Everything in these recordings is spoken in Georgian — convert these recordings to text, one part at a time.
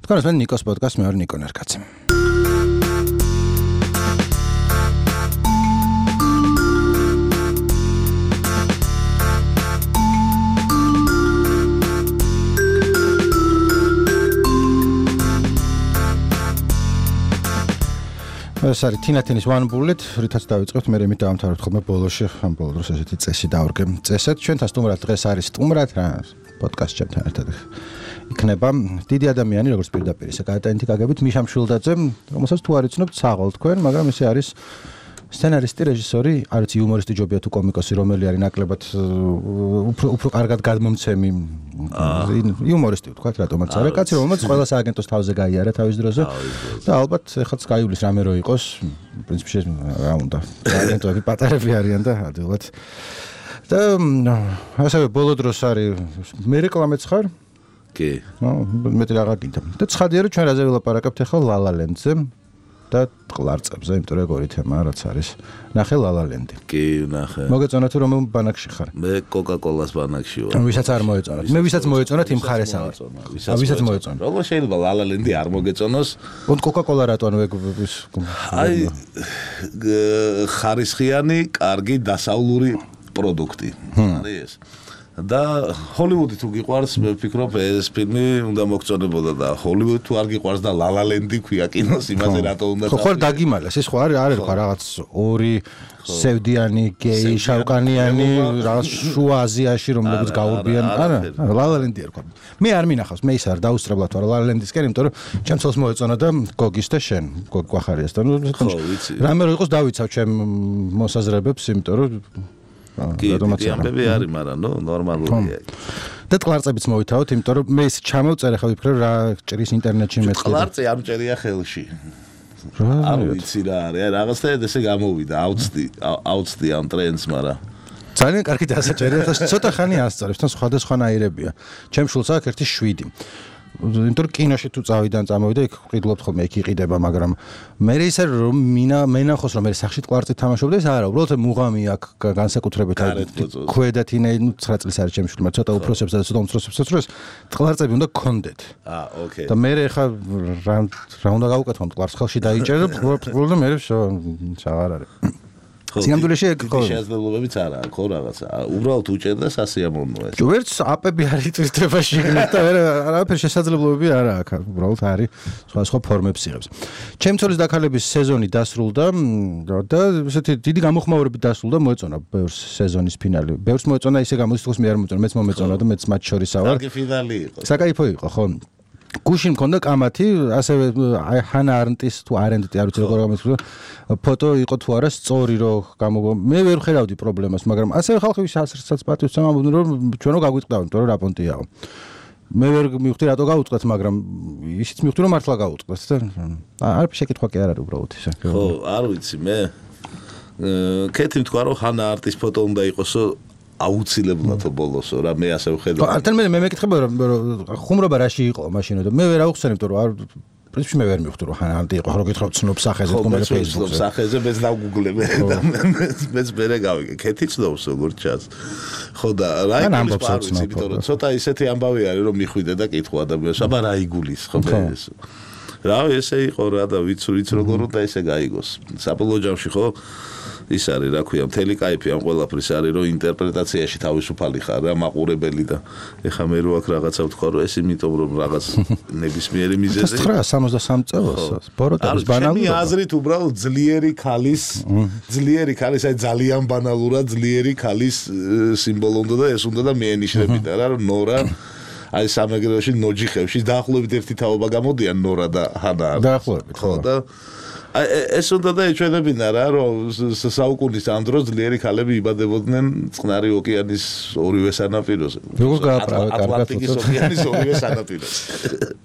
თქვენს მე ნიკოს პოდკასტ მე ვარ ნიკო ნერკაცი. ეს არის თინათინის One Bullet, რითაც დავიწყებთ, მე მით დავამთავრებთ ხოლმე ბოლოში, ამ ბოლო დროს ესეთი წესი დავრგე. წესად ჩვენთან სტუმრად დღეს არის სტუმრად რა პოდკასტ ჩემთან ერთად იქნება დიდი ადამიანი, როგორც პირდაპირ ისე გაატენთიკაგებით მიშა მშვილდაძე, რომელსაც თუ არ იცნობთ საღოლ თქვენ, მაგრამ ესე არის სცენარისტი, რეჟისორი, არც იუმორისტი ჯობია თუ კომიკოსი, რომელი არის ნაკლებად უფრო კარგად გადმომცემი იუმორისტი ვთქვათ, რატომაც არა, კაცი რომელსაც ყველა სააგენტოს თავზე გაიარა თავის დროზე და ალბათ ეხლაც გაივლის რამე რო იყოს, პრინციპში რა უნდა, სააგენტოები პატარები არიან და ადვილად. და ასევე ბოლო დროს არის მე რეკლამეც ხარ? კი. მეტი რა გინდა. და ცხადია რომ ჩვენ რაზე ვილაპარაკებთ ახლა La La Land-ზე. და ყლარწებზე, იმიტომ რომ ეგ ორი თემაა, რაც არის. ნახე La La Land-ი. კი, ნახე. მოგეწონა თუ რომელ ბანაკში ხარ? მე Coca-Cola-ს ბანაკში ვარ. ვისაც არ მოეწონათ. მე ვისაც მოეწონათ იმ ხარეს ავარ. ვისაც მოეწონა. როგორ შეიძლება La La Land-ი არ მოგეწონოს? ონტ Coca-Cola რატო ეგ აი ხარისხიანი, კარგი დასავლური პროდუქტი. არის ეს. და ჰოლივუდი თუ გიყვარს, მე ვფიქრობ ეს ფილმი უნდა მოგწონებოდა და ჰოლივუდი თუ არ გიყვარს და La La Land-ი ქვია კინოს, იმაზე რატო უნდა ხო დაგიმალეს, ეს ხო არის ხო რაღაც ორი სევდიანი, გეი, შავკანიანი, რაღაც შუა აზიაში რომლებიც გაურბიან, არა, La La Land-ი ერქვა. მე არ მინახავს, მე ის არ დაუსწრებლად ვარ La La Land-ისკენ, იმიტომ რომ ჩემს ხელს მოეწონა და გოგის და შენ, გოგი გვახარიასთან. რამე რო იყოს დავიცავ ჩემ მოსაზრებებს, იმიტომ რომ კი, ამბები არის, მაგრამ ნორმალურია. და ყლარწებიც მოვითავოთ, იმიტომ რომ მე ის ჩამოვწერე ხა ვიფიქრე რა ჭრის ინტერნეტში მეც. ყლარწი არ მჭერია ხელში. არ ვიცი რა არის, რაღაცა ესე გამოვიდა, აუცდი ამ ტრენდს, მაგრამ ძალიან კარგი დასაჭერია, ხა ცოტა ხანი ასწავლებს, თან სხვადასხვანაირებია. ჩემ შულს აქვს ერთი 7. იმიტომ რომ კინოში თუ წავიდან წამოვიდა, იქ ყიდლობთ ხოლმე, იქ იყიდება, მაგრამ მე ისე რომ მენახოს რომ მე სახში ყლარწით თამაშობდა, ეს არა, უბრალოდ მუღამი აქვს განსაკუთრებით ქვედა თინე 9 წლის არის ჩემში, მაგრამ ცოტა უფროსებს და ცოტა უმცროსებსაც რომ ეს ყლარწები უნდა გქონდეთ. ოკეი. და მე ხა რა უნდა გავუკეთო, ყლარს ხელში დაიჭერე და პრობლემა მე აღარ არის. სინამდვილეში ეგ ხო შესაძლებლობებიც არა აქვს ხო რაღაცა უბრალოდ უჭერდა სასიამოვნოა ეს ვერც აპები არის ტვისტრებაში და არაფერი შესაძლებლობები არა აქვს უბრალოდ არის სხვა ფორმებს იღებს ჩემცოლის დაქალების სეზონი დასრულდა და ესეთი დიდი გამოხმაურებით დასრულდა მოეწონა ბევრს სეზონის ფინალი ბევრს მოეწონა ისე გამოდის თქოს მე არ მოეწონა მეც მომეწონა და მეც მათ შორისა ვარ კარგი ფინალი იყო საკაიფო იყო ხო გუშინ მქონდა კამათი, ასევე ჰანა არნტის თუ არენდტი არ ვიცი როგორ გამოსულა ფოტო იყო თუ არა სწორი რომ გამოგო მე ვერ ხედავდი პრობლემას, მაგრამ ასევე ხალხი ვისაც პატივს ამბობდნენ რომ ჩვენო გაგვიტყდავთ, იმიტომ რომ რა პონტიაო. მე ვერ მივხვდი რატო გავუწყდეთ, მაგრამ ისიც მივხვდი რომ მართლა გავუწყდეთ და არ შეკითხვა კი არ არის უბრალოდ ისე. ხო, არ ვიცი მე. კეთილი თქვა რომ ჰანა არნტის ფოტო უნდა იყოსო აუცილებლად ბოლოსო რა მე ასე ვხედავ. თან მე მეკითხება რომ ხუმრობა რაში იყო მაშინ და მე ვერ აუხსენებ რომ არ პრინციპში მე ვერ მივხვდი რომ ჰანანტი იყო რო გითხრობ ცნობ სახეზე თქო მე Facebook-ზე. სახეზე მეც დავგუგლებ და მეც მერე გავიგე. კეთი ცნობს როგორ ჩას. ხო და რა იგულის პარვიც, იმიტომ რომ ცოტა ისეთი ამბავი არის რომ მიხვიდე და კითხვა ადამიანს, აბა რა იგულის ხო მე ეს. რა ესე იყო რა და ვიცი როგორ უნდა ესე გაიგოს. საბოლოო ჯამში ხო ის არის რა ქვია მთელი кайფი ამ ყველაფრის არის რომ ინტერპრეტაციაში თავისუფალი ხარ რა მაყურებელი და ეხა მე რო აქ რაღაცა ვთქვა რომ ეს იმიტომ რომ რაღაც ნებისმიერი მიზეზი 963 წელს ბოროტების ჩემი ბანალურობა აზრით უბრალოდ ძლიერი ქალის აი ძალიან ბანალურად ძლიერი ქალის სიმბოლო უნდა და ეს უნდა და მეენიშნებინა რა რომ ნორა აი სამეგრელოში ნოჯიხებში დაახლოებით ერთი თაობა გამოდიან ნორა და ჰანა დაახლოებით ხო და ეს უნდა და ეჩვენებინა რა რომ საუკუნის ამ დროს ძლიერი ქალები იბადებოდნენ წყნარი ოკეანის ორივე სანაპიროზე. როგორ გააправე კარგად ატლანტიკის ოკეანის ორივე სანაპიროზე.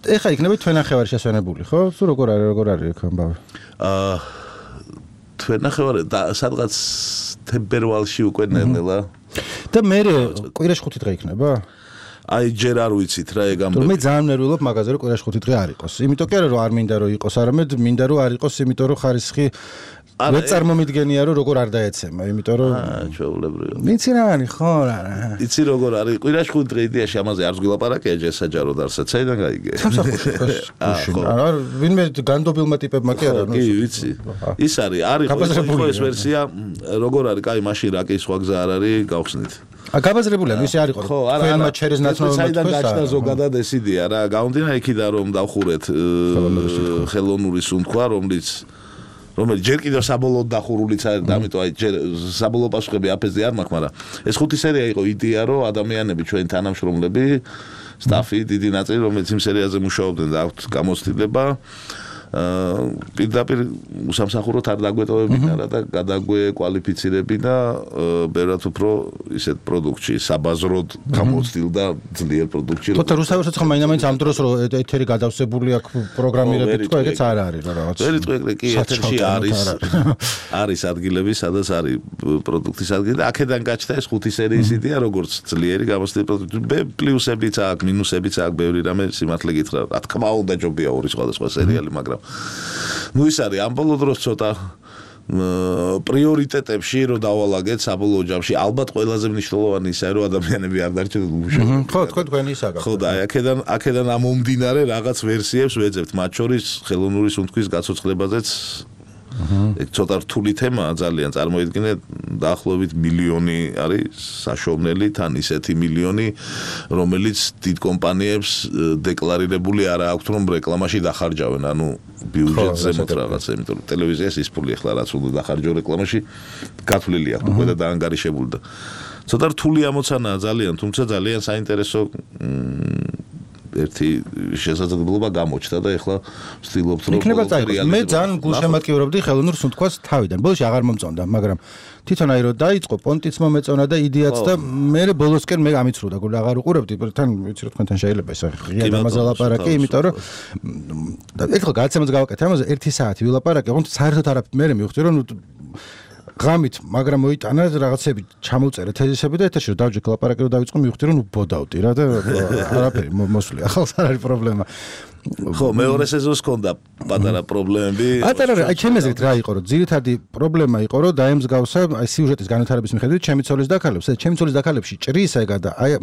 ეხა იქნება თვენახევარი შესვენებული ხო? თუ როგორ არის ეგ ამბავი? თვენახევარი სადღაც თებერვალში უკვე ნელ-ნელა. და მე კვირაში 5 დღე იქნება? აი ჯერ არ ვიცით რა ეგ ამბები. მე ძალიან ნერვიულობ მაგაზე რომ კვირაში 5 დღე არ იყოს. იმიტომ კი არა რომ არ მინდა რომ იყოს, არამედ მინდა რომ არ იყოს, იმიტომ რომ ხარისხი ვერ წარმომიდგენია რომ როგორ არ დაეცემა, იმიტომ რომ ჩვეულებრივია. ვიცი რა არის ხო რა. იცი როგორ არის? კვირაში 5 დღე იდეაში ამაზე არც გვილაპარაკია ჯერ საჯაროდ არცაც საიდან გაიგე. სამსახურში არა ვინმე განდობილმა ტიპებმა კი არა კი ვიცი. ის არის ხო ეს ვერსია როგორ არის? კაი მაშინ რა კი სხვა გზა არ არის გავხსნით. გაბაზრებულია ისე არ იყო თქვენმა ჩერის ნაცნობად საიდან გაჩნდა ზოგადად ეს იდეა რა გაუნდინა იქიდან რომ დავხურეთ ხელოვნური სუნთქვა რომელიც ჯერ კიდევ საბოლოოდ დახურულიც არის და ამიტომ აი ჯერ საბოლოო პასუხები აფეზე არ მაქვს მაგრამ ეს 5 სერია იყო იდეა რომ ადამიანები ჩვენ თანამშრომლები სტაფი დიდი ნაწილი რომელიც იმ სერიაზე მუშაობდნენ და აქვთ გამოცდილება პირდაპირ უსამსახუროდ არ დაგვეტოვებინა რა და გადაგვეკვალიფიცირებინა ბევრად უფრო ისეთ პროდუქტში საბაზროდ გამოცდილ და ძლიერ პროდუქტში თორე რუსთაველსაც ხომ მაინც ამ დროს რომ ეთერი გადავსებული აქვს პროგრამირებით თქო ეგეც არ არის რა რაღაც ვერიტყვი კი ეთერში არის ადგილები სადაც არის პროდუქტის ადგილი და აქედან გაჩნდა ეს 5 სერიის იდეა როგორც ძლიერი გამოცდილი პროდუქტი პლუსებიც აქვს მინუსებიც აქვს ბევრი რამე სიმართლე გითხრა რა თქმა უნდა ჯობია ორი სხვადასხვა სერიალი მაგრამ ну ის არის ამ ბოლო დროს ცოტა პრიორიტეტებში რომ დავალაგეთ საბოლოო ჯამში ალბათ ყველაზე მნიშვნელოვანი ისაა რომ ადამიანები არ დარჩენ უშუალოდ ხო თქვენ ისა გაქვთ ხო და აქედან ამომდინარე რაღაც ვერსიებს ვეძებთ მათ შორის ხელოვნური სუნთქვის გაცოცხლებაზეც ეგ ცოტა რთული თემაა ძალიან წარმოიდგინეთ დაახლოებით მილიონი არის საშოვნელი თან ისეთი მილიონი რომელიც დიდ კომპანიებს დეკლარირებული არ აქვს რომ რეკლამაში დახარჯავენ ანუ ბიუჯეტზე მოთ რაღაცა იმიტომ რომ ტელევიზიას ის ფული ახლა რაც უნდა დახარჯო რეკლამაში გათვლილი აქვს უკვე და დაანგარიშებული და ცოტა რთული ამოცანაა ძალიან თუმცა ძალიან საინტერესო ერთი შესაძლებლობა გამოჩნდა და ეხლა ვცდილობთ რომ მე ძალიან გულშემატკივრობდი ხელოვნურ სუნთქვას თავიდან. ბოლოში აღარ მომწონდა, მაგრამ თვითონ აი რომ დაიწყო, პონტიც მომეწონა და იდეაც და მე ბოლოსკენ მე გამიცრუდა, გულ აღარ უყურებდი, თან ვიცი რომ თქვენთან შეიძლება ეს ღია ამაზე ლაპარაკი, იმიტომ რომ ეხლა გადაცემას გავაკეთე ამაზე 1 საათი ვილაპარაკე, თუმცა საერთოდ არ მე მივხვდი რომ ღამით, მაგრამ მოიტანა რაღაცები ჩამოვწერე თეზისები და ეთერში რომ დავჯექ ლაპარაკი რომ დავიწყო მივხვდი რომ ბოდავდი რა და არაფერი მოსვლი ახალს არ არის პრობლემა ხო მეორე სეზონს ჰქონდა პატარა პრობლემები აი ჩემი აზრით რა იყო რომ ძირითადი პრობლემა იყო რომ დაემსგავსა აი სიუჟეტის განვითარების მიხედვით ჩემი ცოლის დაქალებს ჩემი ცოლის დაქალებში ჭრის ეგა და აი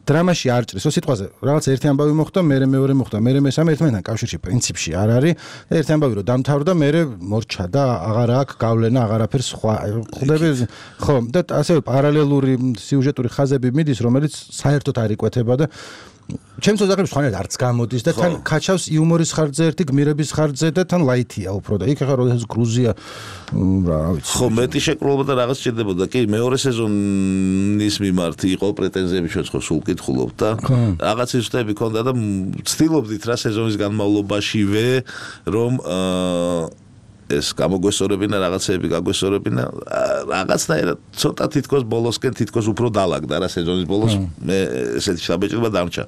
დრამაში არ ჭრის ო სიტყვაზე რაღაც ერთი ამბავი მოხდა მე მეორე მოხდა მე მესამე ერთმანეთთან კავშირში პრინციპში არ არის და ერთი ამბავი რომ დამთავრდა მე მორჩა და აღარ აქვს გავლენა აღარაფერს სხვა ხვდები ხო და ასევე პარალელური სიუჟეტური ხაზები მიდის რომელიც საერთოდ არ იკვეთება და ჩემს ზოგადად ხანერ არც გამოდის და თან ქაჩავს იუმორის ხარჯზე ერთი გმირების ხარჯზე და თან ლაითია უფრო და იქ ახლა რომ ეს გრუზია რა ვიცი ხო მეტი შეკრულება და რაღაც ჭირდებოდა კი მეორე სეზონის მიმართ იყო პრეტენზიები ჩვენ ხო სულ კითხულობთ და რაღაც ისწრები ქონდა და ვცდილობდით რა სეზონის განმავლობაშივე რომ ეს გამოგვესწორებინა რაღაცები გაგვესწორებინა რაღაცნაირად ცოტა თითქოს ბოლოსკენ თითქოს უფრო დალაგდა რა სეზონის ბოლოს მე ესეთი შაბეჭდება დამრჩა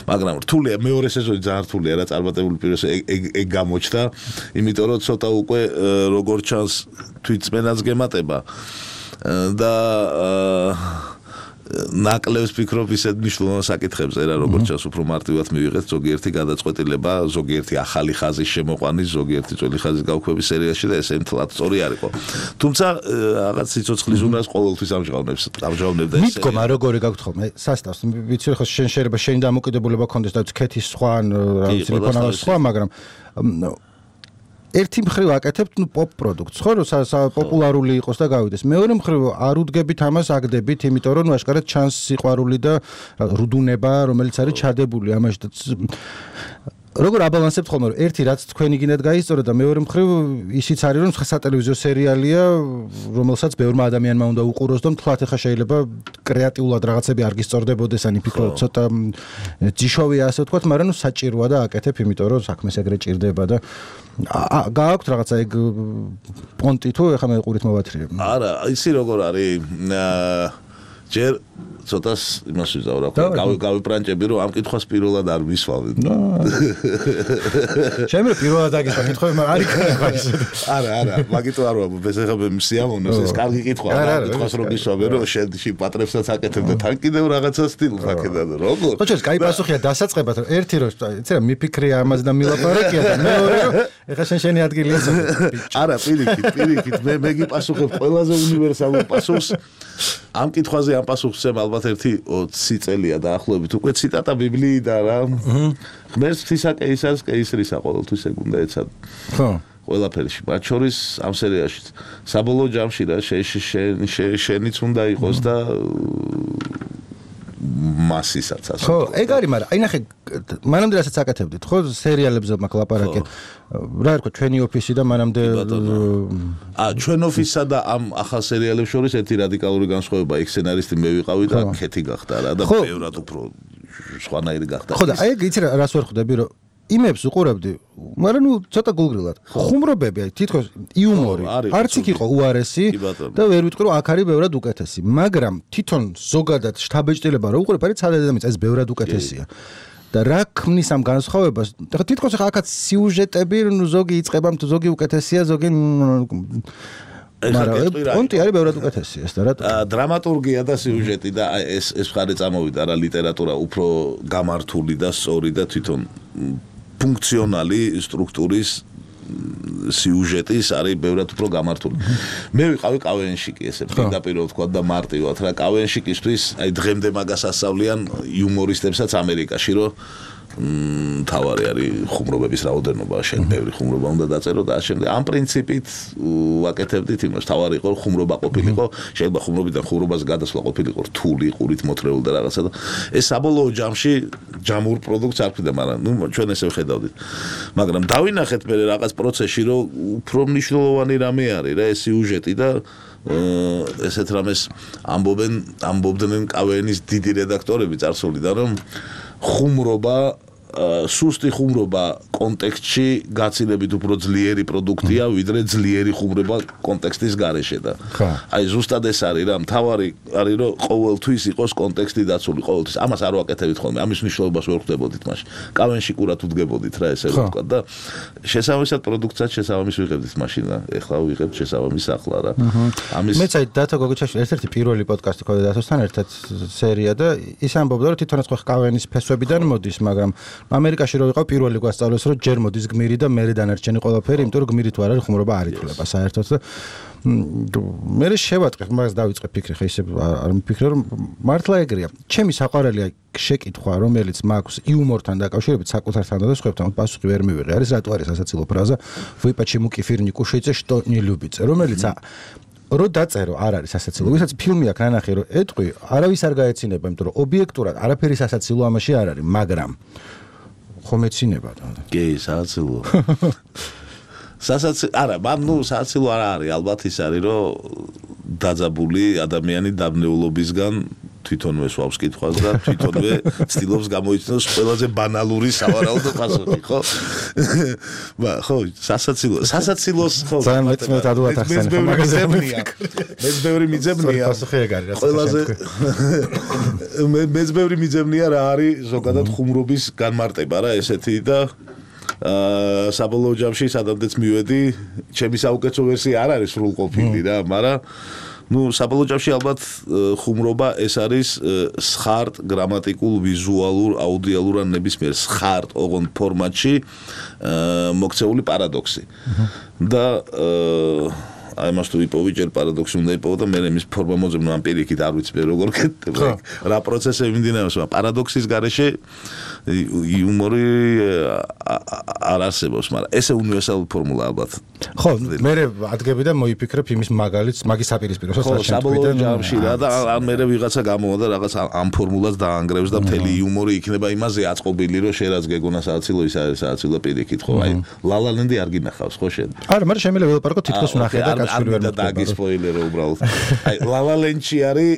მაგრამ რთულია მეორე სეზონი ძალიან რთულია რა წარმატებული პიროსი ეგ გამოჩნდა იმიტომ რომ ცოტა უკვე როგორ ჩანს თვითწმენაც გემატება და ნაკლებს ფიქრობ ისეთ მნიშვნელოვან საკითხებზე რა როგორც ჩანს უფრო მარტივად მივიღეთ ზოგიერთი გადაწყვეტილება ზოგიერთი ახალი ხაზის შემოყვანის ზოგიერთი ძველი ხაზის გავქვების სერიაში და ესე მთლად სწორი არ იყო თუმცა რაღაც სიცოცხლის უნარს ყოველთვის ამჟღავნებდა ეს მითქმა როგორი გაქვთ ხოლმე სასტავს ვიცი ხო შენ შეიძლება შენი დამოკიდებულება ქონდეს და ქეთის სხვა რა ვიცი ლექონავას სხვა მაგრამ ერთი მხრივ აკეთებთ პოპ პროდუქტს ხო რომ პოპულარული იყოს და გავიდეს მეორე მხრივ არ უდგებით ამას აგდებით იმიტომ რომ აშკარად ჩანს სიყვარული და რუდუნება რომელიც არის ჩადებული ამაში და როგორ აბალანსებთ ხოლმე რომ ერთი რაც თქვენი გინდათ გაისწორა და მეორე მხრივ ისიც არის რომ სატელევიზიო სერიალია რომელსაც ბევრმა ადამიანმა უნდა უყუროს და მთლად ახლა შეიძლება კრეატიულად რაღაცები არ გისწორდებოდეს ან იფიქრო ცოტა ჯიშოვია ასე ვთქვათ მაგრამ ნუ საჭიროა და აკეთებ იმიტომ რომ საქმეს ეგრე ჭირდება და გააქვთ რაღაცა ეგ პონტი თუ ეხლა მე ყურით მოვათრიებ არა ისი როგორ არის ჯერ ცოტას იმას ვიზავ რა გავიპრანჭები რომ ამ კითხვას პირველად არ ვისვავდით. შემიძლია პირველად აგისვა კითხვები, მაგრამ არ იქნება ისე. არა, მაგიტო არ ვამბობ, ეს ახლა სიამოვნოს, ეს კარგი კითხვაა, კითხვას რომ ვისვავე, რომ შენ პატრებსაც აკეთებ და თან კიდევ რაღაცა სტილს აკეთებ, როგორ? ხო, ჩვენ კაი პასუხია დასაწყებად, რომ ერთი რომ იცი რა მიფიქრია ამაზე და მილაპარაკია და მეორე რომ ეხლა შენი ადგილია. არა, პირიქით, მე გიპასუხებ ყველაზე უნივერსალურ პასუხს. ამ კითხვაზე ამ პასუხს ალბათ ერთი 20 წელია დაახლოებით უკვე ციტატა ბიბლიიდან რა. ღმერთს ღვთისაკეისარს კეისრისა ყოველთვის ეგუნდა ეცად. ხო. ყველაფერში, მათ შორის ამ სერიაში საბოლოო ჯამში რა შენიც უნდა იყოს და მასისაც ასე. ხო, ეგ არის, მაგრამ აი ნახე, მანამდე რასაც აკეთებდით, ხო, სერიალებზე მაგ ლაპარაკეთ. რა ერქვა ჩვენი ოფისი და მანამდე ჩვენ ოფისსა და ამ ახალ სერიალებს შორის ერთი რადიკალური განსხვავება, იქ სცენარისტი მე ვიყავი და ქეთი გახდა რა და ბევრად უფრო სხვანაირი გახდა. ხო და აი ეგ იცი რას ვერ ხვდები, რომ იმებს უყურებდი, მაგრამ ნუ ცოტა გულგრილად. ხუმრობები, აი თითქოს იუმორი, არც იქ იყო უარესი და ვერ ვიტყვი რომ აქ არის ბევრად უკეთესი, მაგრამ თვითონ ზოგადად შთაბეჭდილება რო უყურებ, არის ცალ ადამიანს ეს ბევრად უკეთესია. და რა ქმნის ამ განსხვავებას? და თითქოს ახლა აქაც სიუჟეტები, ნუ ზოგი იწყება, თუ ზოგი უკეთესია, ზოგი პონტი არის ბევრად უკეთესი ეს და რა დრამატურგია და სიუჟეტი და ეს მხარე წამოვიდა რა ლიტერატურა უფრო გამართული და სწორი და თვითონ ფუნქციონალი სტრუქტურის სიუჟეტის არის ბევრად უფრო გამართული. მე ვიყავი კავენშიკი ესე პირდაპირ ვთქვა და მარტივად რა კავენშიკისთვის აი დღემდე მაგას ასწავლიან იუმორისტებსაც ამერიკაში რომ თავარი არის ხუმრობების რაოდენობა, შენ ბევრი ხუმრობა უნდა დაწერო და შემდეგ ამ პრინციპით ვაკეთებდით იმას, თავარი იყო ხუმრობა ყოფილიყო, შეიძლება ხუმრობიდან ხუმრობას გადასვლა ყოფილიყო რთული, ყურით მოთრეული და რაღაცა და ეს საბოლოო ჯამში ჯამურ პროდუქტს არ ვქნიდა, მაგრამ ნუ ჩვენ ესე ვხედავდით. მაგრამ დავინახეთ მე რაღაც პროცესში, რომ უფრო მნიშვნელოვანი რამე არის რა ეს სიუჟეტი და ესეთ რამეს ამბობდნენ კავენის დიდი რედაქტორები წარსულიდან, რომ ხუმრობა სუსტი ხუმრობა კონტექსტში გაცილებით უფრო ძლიერი პროდუქტია, ვიდრე ძლიერი ხუმრობა კონტექსტის გარეშე და აი ზუსტად ეს არის რა, მთავარი არის რომ ყოველთვის იყოს კონტექსტი დაცული, ყოველთვის. ამას არ ვაკეთებთ ხოლმე, ამის მნიშვნელობას ვერ ხვდებოდით მაშინ. კავენში კურად უდგებოდით რა ესე ვთქვა და შესაბამისად პროდუქტსაც შესაბამის ვიღებდით მაშინ და ეხლა ვიღებთ შესაბამის ახლა რა. ამის მეც აი დათო გოგიჩაშვილი ერთ-ერთი პირველი პოდკასტი ყავდა დათოსთან ერთად სერია და ის ამბობდა რომ თვითონაც ხო კავენის ფესვებიდან მოდის, მაგრამ ამერიკაში რო ვიყავ პირველი გვასწავლეს რომ ჯერ მოდის გმირი და მერე დანარჩენი ყველაფერი, იმიტომ რომ გმირით ვარ არის ხუმრობა არ ითვლება საერთოდ და მე შევატყე მაგას დავიწყე ფიქრი, ხა ისე არ მიფიქრე რომ მართლა ეგრეა. ჩემი საყვარელი შეკითხვა რომელიც მაქვს იუმორთან დაკავშირებით საკუთართან და სხვებთან პასუხი ვერ მივიღე. არის რატო არის სასაცილო ფრაზა "Вы почему кефир не кушаете, что не любите?" რომელიც რო დაწერო არ არის სასაცილო. ვისაც ფილმი აქვს ნანახი რომ ეტყვი, არავის არ გაეცინება, იმიტომ რომ ობიექტურად არაფერი სასაცილო ამაში არ არის, მაგრამ ხომ ეცინება და კი სასაცილო სასაცილო არა ნუ სასაცილო არ არის ალბათ ის არის რომ დაძაბული ადამიანი დაბნეულობისგან თვითონვე სვავს კითხვას და თვითონვე ცდილობს გამოიცნოს ყველაზე ბანალური სავარაუდო პასუხი, ხო? ხო, სასაცილოს ხო. ძალიან მეწმენთ ადვილად ახსენე მაგაზებია. მეც ბევრი მიძებნია. პასუხი ეგ არის, ყველაზე მეც ბევრი მიძებნია რა არის ზოგადად ხუმრობის განმარტება რა ესეთი და საბოლოო ჯამში სადამდეც მივედი, ჩემი საუკეთესო ვერსია არ არის სრულყოფილი რა, მაგრამ ნუ საბოლოო ჯამში ალბათ ხუმრობა ეს არის სხარტ გრამატიკულ, ვიზუალურ, აუდიალურ ან ნებისმიერ სხარტ ოღონდ ფორმატში მოქცეული პარადოქსი. და აი მას თუ იპოვი ჯერ პარადოქსი უნდა იპოვო და მე მის ფორმა მოძებნო ამ პირიქით არ ვიცი როგორ კეთდება რა პროცესები მიმდინარეობს პარადოქსის გარეშე იუმორი არ არსებობს მაგრამ ესე უნივერსალური ფორმულა ალბათ ხო მე ადგები და მოიფიქრებ იმის მაგალითს მაგის საპირისპიროს ხო საბოლოო ჯამში რა და ან მე ვიღაცა გამოვა და რაღაც ამ ფორმულას დაანგრევს და მთელი იუმორი იქნება იმაზე აწყობილი რომ შენ რაც გეგონა სააცილო ის არის სააცილო პირიქით ხო აი ლალალენდი არ გინახავს ხო შენ არა მაგრამ შემიძლია ველაპარაკო თითქოს ნახე და და დაგი სპოილერო უბრალოდ. აი ლალალენჩი არის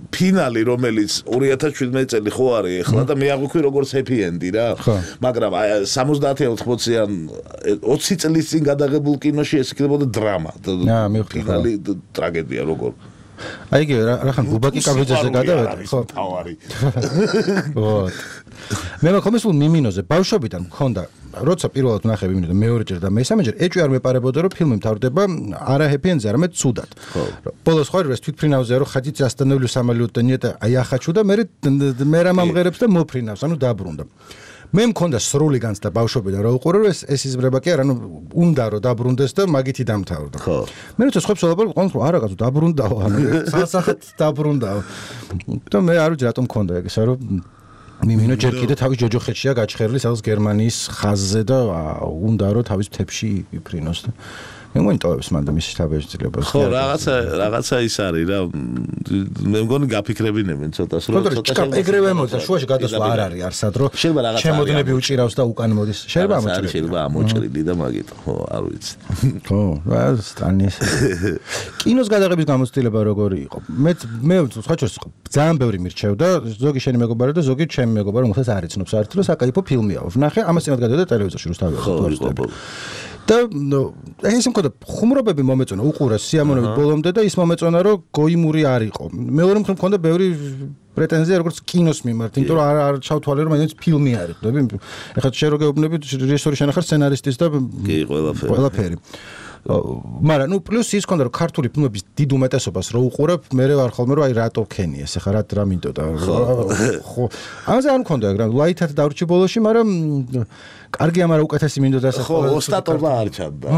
ფინალი რომელიც 2017 წელი ხო არის ახლა და მე არ ვიქვი როგორც ჰეპი ენდი რა. მაგრამ 70-80-ან 20 წლის წინ გადაღებულ კინოში ეს იქნებოდა დრამა. ფინალი ტრაგედია როგორ. აი იგი რახან გუბაკი კაბიძეზე გადავედა, ხო? თავარი. ვოთ. მე მაქომეს ულ მიმინოზე ბავშვობიდან მქონდა, როცა პირველად ვნახე მიმინო და მეორეჯერ და მესამეჯერ ეჭვი არ მეპარებოდა რომ ფილმი მთავრდება არა ჰეპი-ენდზე, არამედ ცუდად. ბოლოს ხო ის თვითფრინავზე რომ ხაჭიც остановлю самолет და ნიეტა აი ახაჩუ და მე რა მომღერებს და მოფრინავს, ანუ დაბრუნდა. მე მქონდა სრული განცდა ბავშვობიდან რა უყურე რომ ეს იზრება კი არა, ანუ უნდა რომ დაბრუნდეს და მაგითი დამთავრდა. ხო. მე როცა სხვებს ველაპარაკობ, ყავს რომ არა კაცო დაბრუნდაო, ანუ სასახეთ დაბრუნდაო. და მე არ ვიცი რატომ მქონდა ეგ, რომ მიმინო ჯერ კიდე თავის ჯოჯოხეთშია გაჩხერილი სადაც გერმანიის ხაზზე და უნდა რომ თავის მთებში იფრინოს და მე მომიტოვებს მანდ მის თავშეძლებას. ხო, რაღაცა ის არის რა. მე მგონი გაფიქრებინებენ ცოტას რომ ცოტა ეგრევე მოდის, შუაში გადასვლა არ არის არსად რომ შემოდნები უჭირავს და უკან მოდის. შეიძლება ამოჭრილი და მაგით, ხო, არ ვიცი. ხო, სტანის. კინოს გადაღების გამოცდილება როგორი იყო? მე სხვაჩვენს ძალიან ბევრი მირჩევდა, ზოგი შენი მეგობარი და ზოგი ჩემი მეგობარი, რომელსაც არ იცნობს საერთოდ რომ საკაიფო ფილმია. ვნახე, ამას წინათ გადავიდა ტელევიზორში რუსთავი. და ეს მქონდა ხუმრობები მომეწონა უყურე სიამოვნებით ბოლომდე და ის მომეწონა რომ გოიმური არ იყო. მეორე მხრივ მქონდა ბევრი პრეტენზია როგორც კინოს მიმართ, იმიტომ რომ არ ჩავთვალე რომ მაინც ფილმი არის. ეხლა შენ რო გეუბნები რეჟისორი შენ ახარ სცენარისტის და კი ყველაფერი. მაგრამ პლუს ის მქონდა რომ ქართული ფილმების დიდ უმეტესობას რო უყურებ, მე ვარ ხოლმე რომ აი რატო ქენი ეს ახლა რა მინდოდა. ხო. ამაზე არ მქონდა ეგ რა ლაითად დავრჩი ბოლოში, მაგრამ კარგია, მაგრამ უკეთესი მინდოდა ეს. ხო, ოსტატობა არ ჩანდა.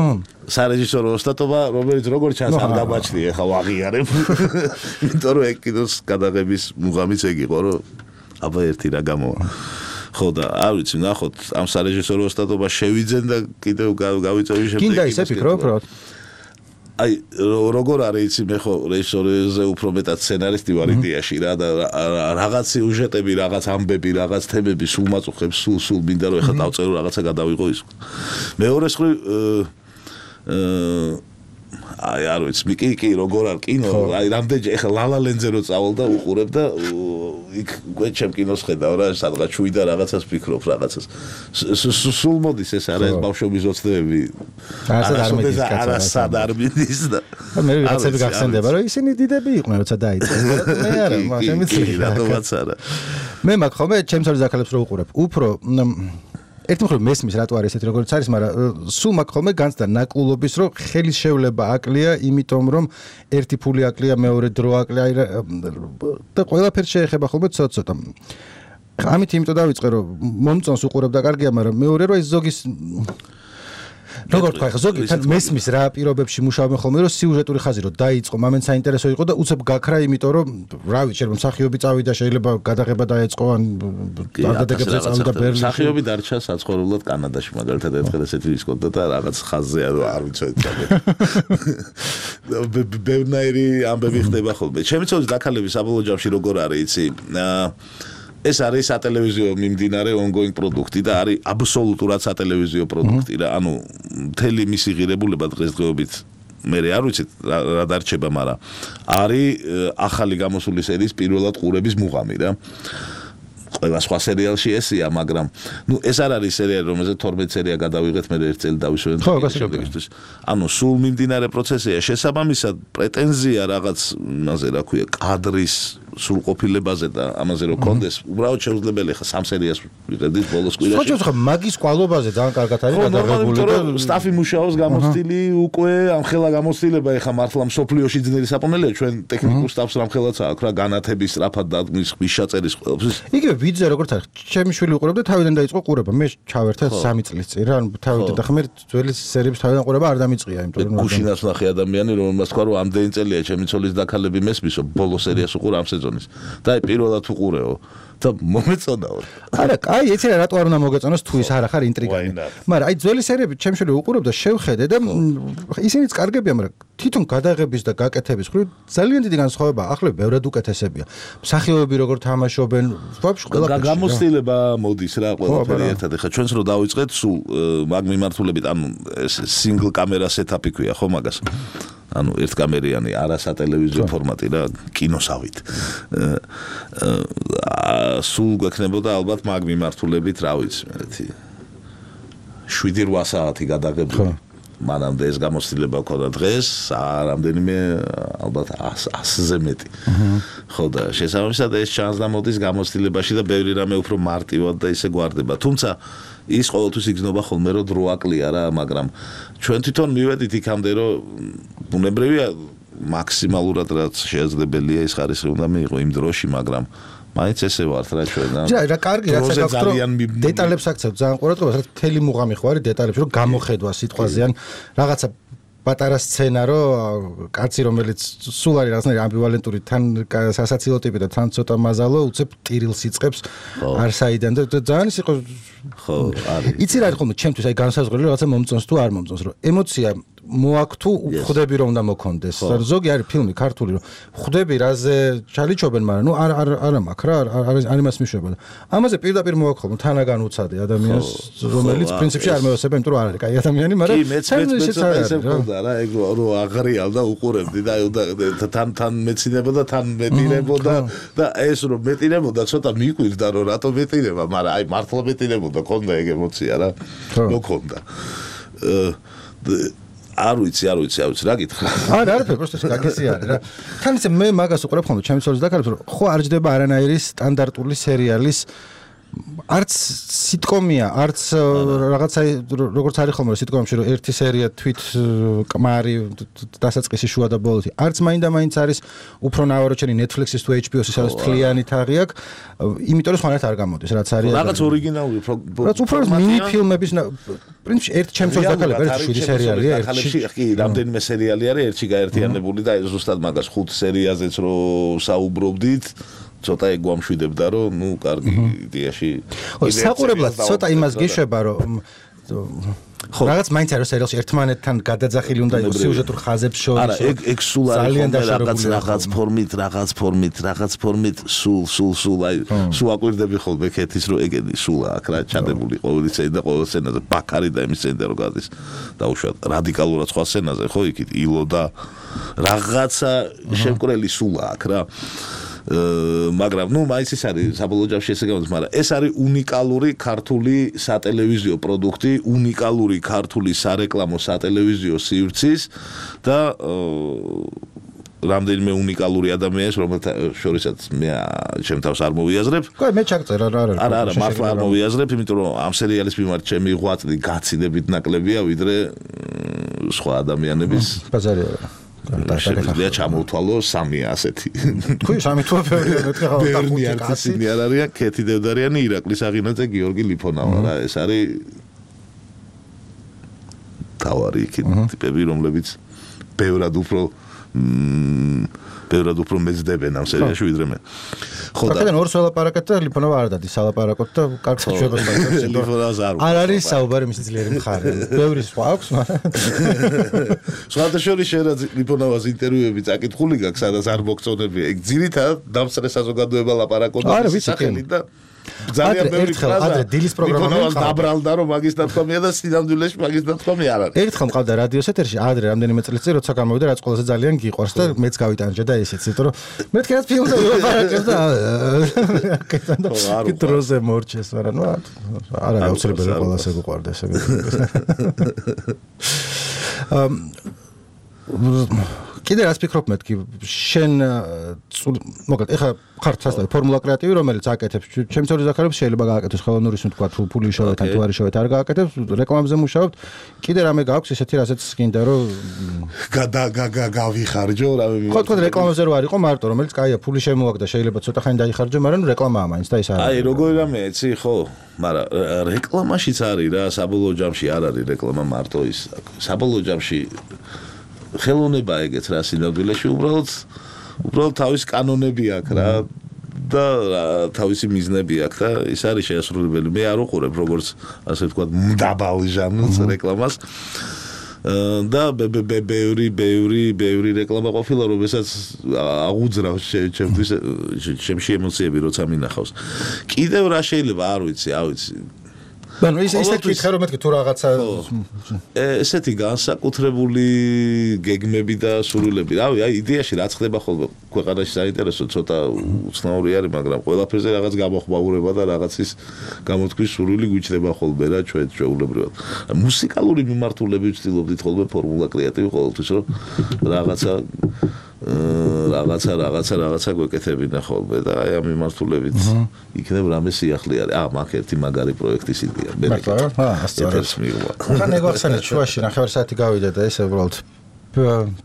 სარეჟისორო ოსტატობა, რომელიც როგორ ჩანს არ დამაჩნია, ახლა ვაღიარებ. იმიტომ რომ ეგ კინოს გადაღების მუღამიც ეგ იყო, რომ აბა ერთი რა გამოვა. ხო და არ ვიცი, ნახოთ ამ სარეჟისორო ოსტატობა შევიძენ და კიდევ გავიწევი შემდეგ. კიდე ისე ფიქრობ, უბრალოდ. აი როგორ არის იცი მე ხო რეჟისორზე უფრო მეტად სცენარისტი ვარ იდეაში რა და რაღაც სიუჟეტები, რაღაც ამბები, რაღაც თემები სულ მაწუხებს, სულ მინდა რომ ეხლა დავწერო რაღაცა გადავიღო ის. მეორეს მხრივ აი არ ვიცი, კი როგორ არ კინო, აი რამდენჯერ ეხლა ლალალენძე რო წავალ და უყურებ და იქ გვეჩემ კინოს ხედავ რა, სადღაც შუი და რაღაცას ფიქრობ, რაღაცას. სულ მოდის ეს არა ეს ბავშვობის ოცნებები. არასად არ მიდის და მე რაღაცები გახსენდება, რომ ისინი დიდები იყვნენ, როცა დაიწყეს. მე არა, შემიძლია. რატომაც არა. მე მაგ ხოლმე ჩემს არის აქალებს რო უყურებ. უფრო ერთი მხრივ მესმის რატო არის ესეთი როგორც არის, მაგრამ სულ მაგ ხოლმე განცდა ნაკულობის, რომ ხელის შევლება აკლია, იმიტომ რომ ერთი ფული აკლია, მეორე დრო აკლია და ყველაფერს შეეხება ხოლმე ცოტა. ამით იმიტომ დავიწყე, რომ მომწონს უყურებ და კარგია, მაგრამ მეორე რომ ეს ზოგის როგორ თქვა, ზოგი თან მესმის რა პირობებში მუშაობენ ხოლმე, რომ სიუჟეტური ხაზი რომ დაიწყო, მომენტ საინტერესო იყო და უცებ გაქრა, იმიტომ რომ რა ვიცი, შეიძლება მსახიობი წავიდა, შეიძლება გადაღება დაეწყო, ან დარდადეგებზე წავიდა ბერლინში. მსახიობი დარჩა საცხოვრებლად კანადაში, მაგალითად ერთხელ ესეთი ის კონდა და რაღაც ხაზზე არ ვიცოდი. ბევრნაირი ამბები ხდება ხოლმე. ჩემი ცოლის დაქალების საბოლოო ჯამში როგორ არის, იცი? ეს არის სატელევიზიო მიმდინარე ongoing პროდუქტი და არის აბსოლუტურად სატელევიზიო პროდუქტი რა. ანუ მთელი მისი ღირებულება დღესდღეობით მე არ ვიცი რა დარჩება, მაგრამ არის ახალი გამოსული სერიის პირველად ყურების მუღამი რა. ყველა სხვა სერიალში ესია, მაგრამ ეს არ არის სერიალი, რომელზეც 12 სერია გადავიღეთ, მე ერთ წელი დავისვენეთ შემდეგისთვის. ანუ სულ მიმდინარე პროცესია, შესაბამისად პრეტენზია რაღაც იმაზე რა ქვია, კადრის სრულყოფილებაზე და ამაზე რო კონდეს, უბრალოდ შეუძლებელი ხა 3 სერიას ვიღებდით ბოლოს კვირაში. ხო, მაგის კვალობაზე ძალიან კარგად არის გადაღებული და სტაფი მუშაობს გამოცდილი უკვე ამ ხელა გამოცდილება ეხა მართლა მსოფლიოში ძნელი საპონელია, ჩვენ ტექნიკურ სტაფს რამხელაც აქვს რა, განათების სწრაფად დადგმის ხმისჩაწერის ყველაფრის. იგივე ვიძე როგორც არის, ჩემი შვილი უყურებდა, თავიდან დაიწყო ყურება. მე ჩავერთე 3 წლის წინ რა, თავიდან და ხმერ ძველი სერიების თავიდან ყურება არ დამიწყია, იმიტომ რომ გუშინას ნახე ადამიანი, რომელმაც თქვა რომ ამდენი წელია ჩემი ცოლის დაქალები მესმისო, ბოლო სერიას უყურა ამ სეზონის. და აი პირველად უყურეო და მომეწონაო. არა, კაი, ეცი რა რატო არ უნდა მოგეწონოს თუ ის არ ახარ ინტრიგანი. მაგრამ აი ძველი სერიები ჩემ შვილი უყურებდა, შევხედე და ისინიც კარგებია, მაგრამ თვითონ გადაღების და გაკეთების მხრივ ძალიან დიდი განსხვავებაა. ახლა ბევრად უკეთესებია. მსახიობები როგორ თამაშობენ, ვაფშე ყველაფერი. გამოცდილება მოდის რა ყველაფერი ერთად. ეხლა ჩვენს რო დავიწყეთ სულ მაგ მიმართულებით, ანუ სინგლ კამერა სეტაპი ქვია ხო მაგას. ანუ ერთკამერიანი არასატელევიზიო ფორმატი რა, კინოსავით. სულ გვექნებოდა ალბათ მაგ მიმართულებით, რა ვიცი, ერთი 7-8 საათი გადაღებული. მანამდე ეს გამოცდილება ქონდა დღეს რამდენიმე ალბათ 100-ზე მეტი. ხო და შესაბამისად ეს ჩანს და მოდის გამოცდილებაში და ბევრი რამე უფრო მარტივად და ისე გვარდება. თუმცა ის ყოველთვის იგრძნობა ხოლმე რომ დრო აკლია რა, მაგრამ ჩვენ თვითონ მივედით იქამდე რომ ბუნებრივია მაქსიმალურად რაც შეეძლებელია ის ხარისხი უნდა მიიღო იმ დროში, მაგრამ მაინც ესე ვართ რა ჩვენ. რა კარგი რაც აქვს რომ დეტალებს აქცევთ ძალიან ყურადღებას, რა თელი მუღამი ხوارი დეტალებში რომ გამოხედვა სიტყვაზე ან რაღაცა პატარა სცენა რომ კაცი რომელიც სულ არის რაღაცნაირი ამბივალენტური თან სასაცილო ტიპი და თან ცოტა მაზალო უცებ ტირილს იწყებს არსაიდან და ძალიან ის იყო ხო არის იცი რა არის ხოლმე ჩემთვის აი განსაზღვრელი რაღაცა მომწონს თუ არ მომწონს რომ ემოცია მოაქვს თუ ხვდები რომ უნდა მოქონდეს ზოგი არის ფილმი ქართული რომ ხვდები რაზე ჩალიჩობენ მაგრამ ნუ არა მაქვს რა არ იმას მიშვება და ამაზე პირდაპირ მოაქვს ხოლმე თანაგან უცადე ადამიანს რომელიც პრინციპში არ მევასება იმიტომ რომ არ არის კაი ადამიანი მაგრამ რა ეგ რო აღრიალ და უყურებდი და თან მეცინებოდა თან მეტირებოდა და ეს რომ მეტირებოდა ცოტა მიყვირდა რომ რატო მეტირება მაგრამ აი მართლა მეტირებოდა ქონდა ეგ ემოცია რა მოქონდა არ ვიცი რა გითხრა არა არაფერი პროსტო გაგესი არის რა თან ისე მე მაგას უყურებ ხოლმე ჩემი ცოლის დაკარგვის რომ ხო არ ჯდება არანაირი სტანდარტული სერიალის არც სიტკომია, არც რაღაცა როგორც არის ხოლმე სიტკომში რომ ერთი სერია თვით კმარი დასაწყისი შუა და ბოლოსი, არც მაინდა-მაინც არის უფრო ნავაროჩენი Netflix-ის თუ HBO-ის სადაც თლიანი თაღი აქვს, იმიტომ რომ სხვანაირად არ გამოდის, რაც არის. რაღაც ორიგინალური რაც უფრო მინი ფილმების პრინციპში ერთ ჩემს შორის დაკალებ ერთი შვიდი სერიალია, ერთი კი, რამდენიმე სერიალი არის, ერთი გაერთიანებული და ზუსტად მაგას 5 სერიაზეც რო საუბრობდით ცოტა ეგ გვამშვიდებდა რომ ნუ კარგი იდეაში საყურებლად ცოტა იმას გიშვება რომ რაღაც მაინც არის სერიალში ერთმანეთთან გადაძახილი უნდა იყოს სიუჟეტურ ხაზებს შორის არა ეგ სულ არის რაღაც ფორმით სულ აი სულ აკვირდები ხოლმე ქეთის რომ ეგენი სულ აქ რა ჩადებული ყოველი სცენა და ყოველ სცენაზე ბაქარი და იმის სცენა რო გადის დაუშვათ რადიკალურად სხვა სცენაზე ხო იქით ილო და რაღაცა შემკრელი სულ აქ რა მაგრამ ნუ მაინც ის არის საბოლოო ჯამში ესე გამოდის მაგრამ ეს არის უნიკალური ქართული სატელევიზიო პროდუქტი უნიკალური ქართული სარეკლამო სატელევიზიო სივრცის და რამდენიმე უნიკალური ადამიანის რომელთა შორისაც მე ჩემ თავს არ მოვიაზრებ ხო მე ჩაგწერა რა არა მართლა არ მოვიაზრებ იმიტომ რომ ამ სერიალის მიმართ ჩემი ღვაწლი გაცილებით ნაკლებია ვიდრე სხვა ადამიანების ბაზარია შეგვიძლია ჩამოვთვალო 3 ასეთი. თქვი 3 თუ ბევრი არცინი არ არის, ქეთი დევდარიანი, ირაკლის აღინაძე, გიორგი ლიფონავა რა, ეს არის თავარი ტიპები, რომლებიც ბევრად უფრო მეძდებენ ამ სერიაში ვიდრე მე. ხო და აქედან ორს ველაპარაკეთ და ლიფონავა არ დადის სალაპარაკოთ და კარგ შეხვედრას მაქვს. ლიფონავას არ არის საუბარი მისი ძლიერი მხარე. ბევრი სხვა აქვს, მაგრამ სხვადასხვა შეიძლება ლიფონავას ინტერვიუები წაკითხული გაქვს, სადაც არ მოგწონებია. ეგ ძირითადად დამსწრე საზოგადოება ლაპარაკობდა სახელით და ძალიან ბევრი ფრაზა ადრე დილის პროგრამა დაბრალდა რომ მაგის დათქვამია და სინამდვილეში მაგის დათქვამი არ არის. ერთხელ მყავდა რადიოს ეთერში ადრე რამდენიმე წელიწად წინ როცა გამოვიდა რაც ყველაზე ძალიან გიყვარს და მეც გავიტანჯე და ესეც იმიტომ რომ მეთქე რაც ფილმზე ვილაპარაკებ და აკეთან და დროზე მორჩეს მაგრამ ნუ არა აუცილებელი ყველას ეგუყვარდა ესე კიდე რაც ფიქრობ მეთქი შენ მოკლედ ეხლა ხარ სასწავლო ფორმულა კრეატივი რომელიც აკეთებს ჩემს ორი ზაქარებს შეიძლება გააკეთოს ხელოვნურის თქვა თუ ფული შევეთ ან თუ არ შევეთ არ გააკეთებს რეკლამაზე მუშაობთ კიდე რამე გაქვს ესეთი რასაც გინდა რომ გავიხარჯო რამე ხო თქვა რეკლამაზე რო არ იყო მარტო რომელიც კაია ფული შემოაგდა შეიძლება ცოტა ხანი დაიხარჯო მაგრამ რეკლამაა მაინც და ის არის აი როგორი რამე იცი ხო მაგრამ რეკლამაშიც არის რა საბოლოო ჯამში არ არის რეკლამა მარტო ის საბოლოო ჯამში ხელოვნება ეგეც რა სინამდვილეში უბრალოდ თავის კანონები აქვს რა და თავისი მიზნები აქვს და ის არის შეასრულებელი მე არ უყურებ როგორც ასე ვთქვათ მდაბალ ჟანრს რეკლამას და ბევრი რეკლამა ყოფილა რომელსაც აღუძრავს ჩემში ემოციები როცა მინახავს კიდევ რა შეიძლება არ ვიცი ანუ ისეთი კითხე რომ მეთქი თუ რაღაცა ესეთი განსაკუთრებული გეგმები და სურვილები. რავი, აი იდეაში რაც ხდება ხოლმე ქვეყანაში საინტერესო ცოტა უცნაური არის, მაგრამ ყველაფერზე რაღაც გამოხმაურება და რაღაცის გამოთქმის სურვილი გვიჩნდება ხოლმე რა ჩვენ ჩვეულებრივად. მუსიკალური მიმართულები ვცდილობდით ხოლმე ფორმულა კრეატივი ყოველთვის რომ რაღაცა გვეკეთებინა ხოლმე და აი ამ მიმართულებით იქნებ რამე სიახლე არის. მაგ ერთი მაგარი პროექტის იდეა. ასწორებს მიღვა. ხან ეგოხსენეთ შუაში ნახევარსაათი გავიდა და ესე უბრალოდ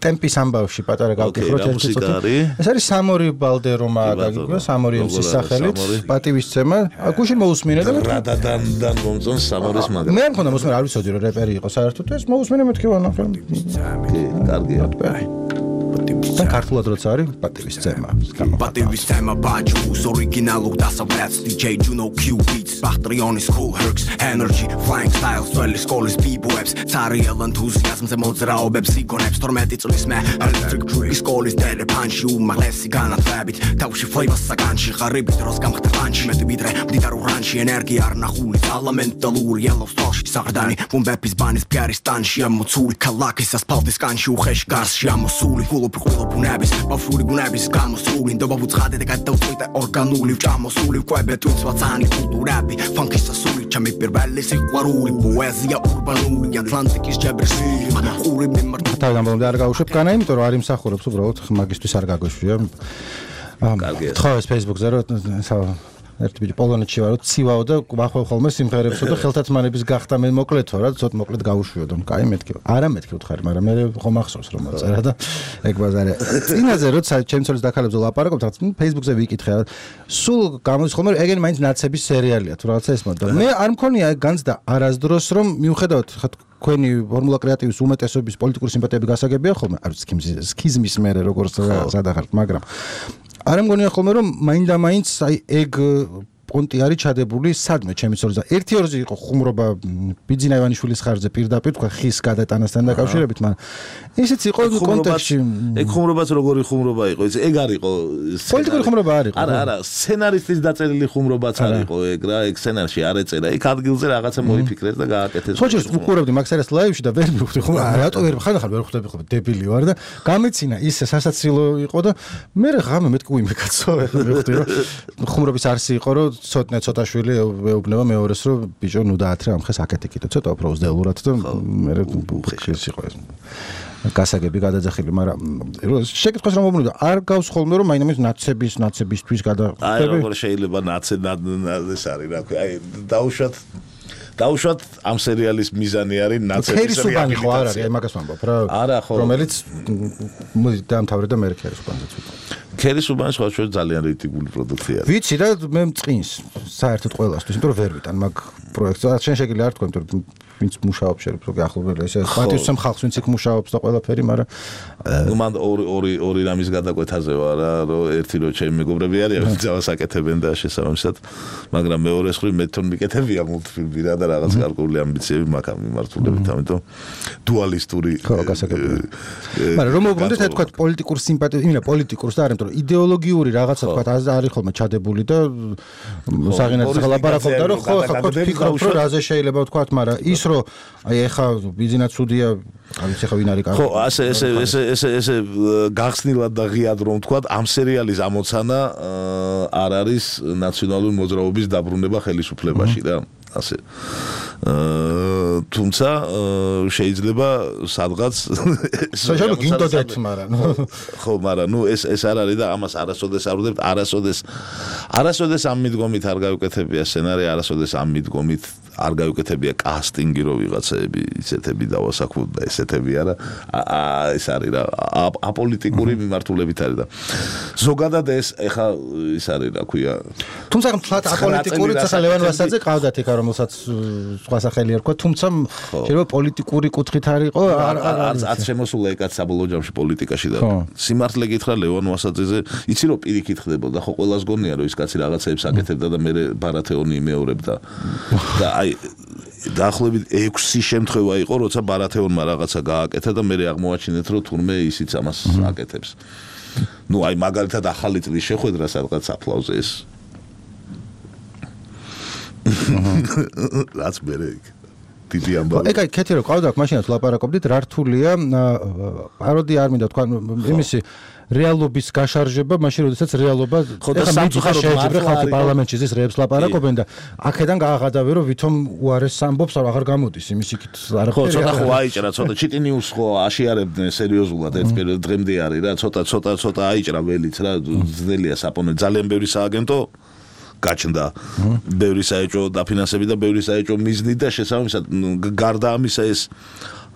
ტემპის ამბავში პატარა გავკითხოთ ერთი წუთი. ეს არის სამორი ბალდერომა გაგიგო, სამორი ემსის სახელით, პატივისცემა. გუშინ მოусმინე და რადადან მომწონს სამორის მაგარი. მე მქონდა მოსმენ არ ვიცოდი რომ რეპერი იყო საერთოდ ეს მოусმინე მეთქი ვანახე. კი, კარგია. და ქართულად როცა არის პატივისცემა. პატივისცემა ბაჯუს ორიგინალურ დასავლეთს DJ Juno Q beats Bachtrionis cool herks energy flying styles well schools b-boys Tariel enthusiasmზე მოძრაობებს იგონებს 12 წლის მე electric tree schools და punch უმაღლესი განათლებით თავში flavor საგანში ღარიბი დროს გამხდა პანჩი მეტი ვიდრე მდიდარ ურანში ენერგია არ ნახული ალამენტალური yellow stall-ში საღდანი ვუმბეპის ბანის ფგარისტანში ამოცული ქალაქის ასფალტის კანში უხეში გარსში ამოსული გულობუნების ბავშვური გუნების გამოსული ნდობა უცხადე და გადავწყვიტე ორგანული ვჭამოსული ვკვებე თვითსვაცანი კულტურები ფანკის სასული ჩემი პირველი სიყვარული პოეზია ურბანული ატლანტიკის ჯებრის ყური მიმართ თავიდან ბოლომდე არ გავუშვებ განა იმიტომ რომ არ იმსახურებს უბრალოდ მაგისტვის არ გაგოშვია ხო ეს Facebook-ზე რომ ერთი ბიჭი პოლონეთში ვარო ცივაო და ვახვევ ხოლმე სიმღერებსო და ხელთათმანების გახდა მე მოკლეთო რა ცოტ მოკლედ გავუშვიოდო კაი მეთქი არა მეთქი უთხარი მაგრამ მე ხომ ახსოვს რომ მოწერა და ეგ ბაზარი წინაზე როცა ჩემს ცოლის დაქალებზე ლაპარაკობთ რაღაც Facebook-ზე ვიკითხე სულ გამოდის ხოლმე ეგენი მაინც ნაცების სერიალია თუ რაღაცა ეს მოდა მე არ მქონია ეგ განცდა არასდროს რომ მიუხედავად თქვენი ფორმულა კრეატივის უმეტესობის პოლიტიკური სიმპათიები გასაგებია ხოლმე არ ვიცი სქიზმის მერე როგორც სადახართ მაგრამ არ მგონია ხოლმე რომ მაინდა-მაინც აი ეგ პონტი არის ჩადებული სადმე ჩემი ცოლის და ერთი ორზე იყო ხუმრობა ბიძინა ივანიშვილის ხარჯზე პირდაპირ თქვა ხის გადატანასთან დაკავშირებით მაგრამ ისიც იყო კონტექსტში ეგ ხუმრობაც როგორი ხუმრობა იყო ეს ეგ არისო პოლიტიკური ხუმრობა არისო არა სცენარისტის დაწერილი ხუმრობაც არისო ეგ რა ეგ სცენარში არ ეწერა იქ ადგილზე რაღაცა მოიფიქრეს და გააკეთეს ხო შეიძლება უყურებდი მაგ ლაივში და ვერ მივხვდი ხო რატო ვერ ხანახარ ვერ ხვდები ხო დებილი ვარ და გამეცინა ის სასაცილო იყო და მე ღამე მეთქი უიმეკაცო ვერ მივხვდი რომ ხუმრობის არსი იყო რომ ცოტა შვილი ეუბნება მეორეს რომ ბიჭო ნუ დაათრე ამ ხეს აკეთე კიდე ცოტა უფრო უზდელურად და მე ხეს იყო ეს გასაგები გადაძახილი მაგრამ შეკითხოს რომ მომუნდა არ გავს ხოლმე რომ მაინც ნაცებისთვის გადახვდები აი როგორ შეიძლება ნაცე ეს არის რა ქვია აი დაუშვათ ამ სერიალის მიზანი არის ნაცების რეაბილიტაცია ხო არ არის აი მაგას ვამბობ რა არა ხო რომელიც დაამთავრე და მე ქერისუბანზე ქერისუბანს ხო ჩვენ ძალიან რეიტინგული პროდუქცია ვიცი და მე მწყინს საერთოდ ყველასთვის იმიტომ რომ ვერ ვიტან მაგ პროექტს შენ შეგიძლია არ თქვა იმიტომ რომ ვინც მუშაობს შეიძლება რომ გახლობელი ესე პატივისცემ ხალხს ვინც იქ მუშაობს და ყველაფერი მაგრამ ნუ მან ორი რამის გადაკვეთაზე ვარ რომ ერთი რომ ჩემი მეგობრები არიან ვინც ძავას აკეთებენ და შესაბამისად მაგრამ მეორე ხრი მე თვითონ მიკეთებია მულტფილმი რა და რაღაც გარკვეული ამბიციები მაქვს ამ მიმართულებით ამიტომ დუალისტური ხო გასაგებია მაგრამ რომ მოგონდეთ თქვა პოლიტიკურ სიმპათიას იმენა პოლიტიკურს და არ იმიტომ რომ იდეოლოგიური რაღაცა თქვა არის ხოლმე ჩადებული და საღინაძე ლაპარაკობდა რომ ხო ხო ფიქრობ რომ რაზე შეიძლება თქვა მაგრამ ის რომ აი ეხა ბიზნეს ცუდია არ ვიცი ხა ვინ არის კარგი ხო ესე გახსნილად და ღიად რომ თქვა ამ სერიალის ამოცანა არ არის ნაციონალური მოძრაობის დაბრუნება ხელისუფლებაში რა ასე თუმცა შეიძლება სადღაც შეიძლება გინდოდეთ მაგრამ ხო მაგრამ ნუ ეს არ არის და ამას არასოდეს არ ვუძებთ არასოდეს ამ მიდგომით არ გავუკეთებია სცენარი არასოდეს ამ მიდგომით არ გავუკეთებია კასტინგი რო ვიღაცები ისეთები დავასაქმოთ და ესეთები არა ეს არის რა აპოლიტიკური მიმართულებით არის და ზოგადად ეს ეხა ის არის რა ქვია თუმცა თლათ აპოლიტიკური ცახა ლევან ვასაძე ყავდათ იქა რომელსაც სხვა სახელი არ თქვა თუმცა შეიძლება პოლიტიკური კუთხით არისო არც შემოსულა ეკაც საბოლოო ჯამში პოლიტიკაში და სიმართლე გითხრა ლევან ვასაძეზე იცი რომ პირიქით ხდებოდა ხო ყველას გონია რომ ის კაცი რაღაცეებს აკეთებდა და მე ბარათეონი იმეორებდა და აი დაახლოებით 6 შემთხვევა იყო როცა ბარათეონმა რაღაცა გააკეთა და მე აღმოაჩინეთ რომ თურმე ისიც ამას აკეთებს ნუ აი მაგალითად ახალი წლის შეხვედრა სადღაც აფლავზე ეს რაც მერე დიდი ამბავი. ეგ კეთი რო ყავდა მაშინაც ლაპარაკობდით რა რთულია პაროდია არ მინდა თქვა იმისი რეალობის გაშარჟება მაშინ როდესაც რეალობა ხოდა სამწუხაროდ ხალხი პარლამენტში ზის რეებს ლაპარაკობენ და აქედან გააღადავე რომ ვითომ უარეს ამბობს აღარ გამოდის იმის იქით ხო ცოტა ხო აიჭრა ცოტა ჩიტინიუს ხო აშიარებდნენ სერიოზულად ერთ პერიოდში დღემდე არის რა ცოტა აიჭრა ველიც რა ძნელია საპონე ძალიან ბევრი სააგენტო გაჩნდა ბევრი საეჭვო დაფინანსები და ბევრი საეჭვო მიზნი და შესაბამისად გარდა ამისა ეს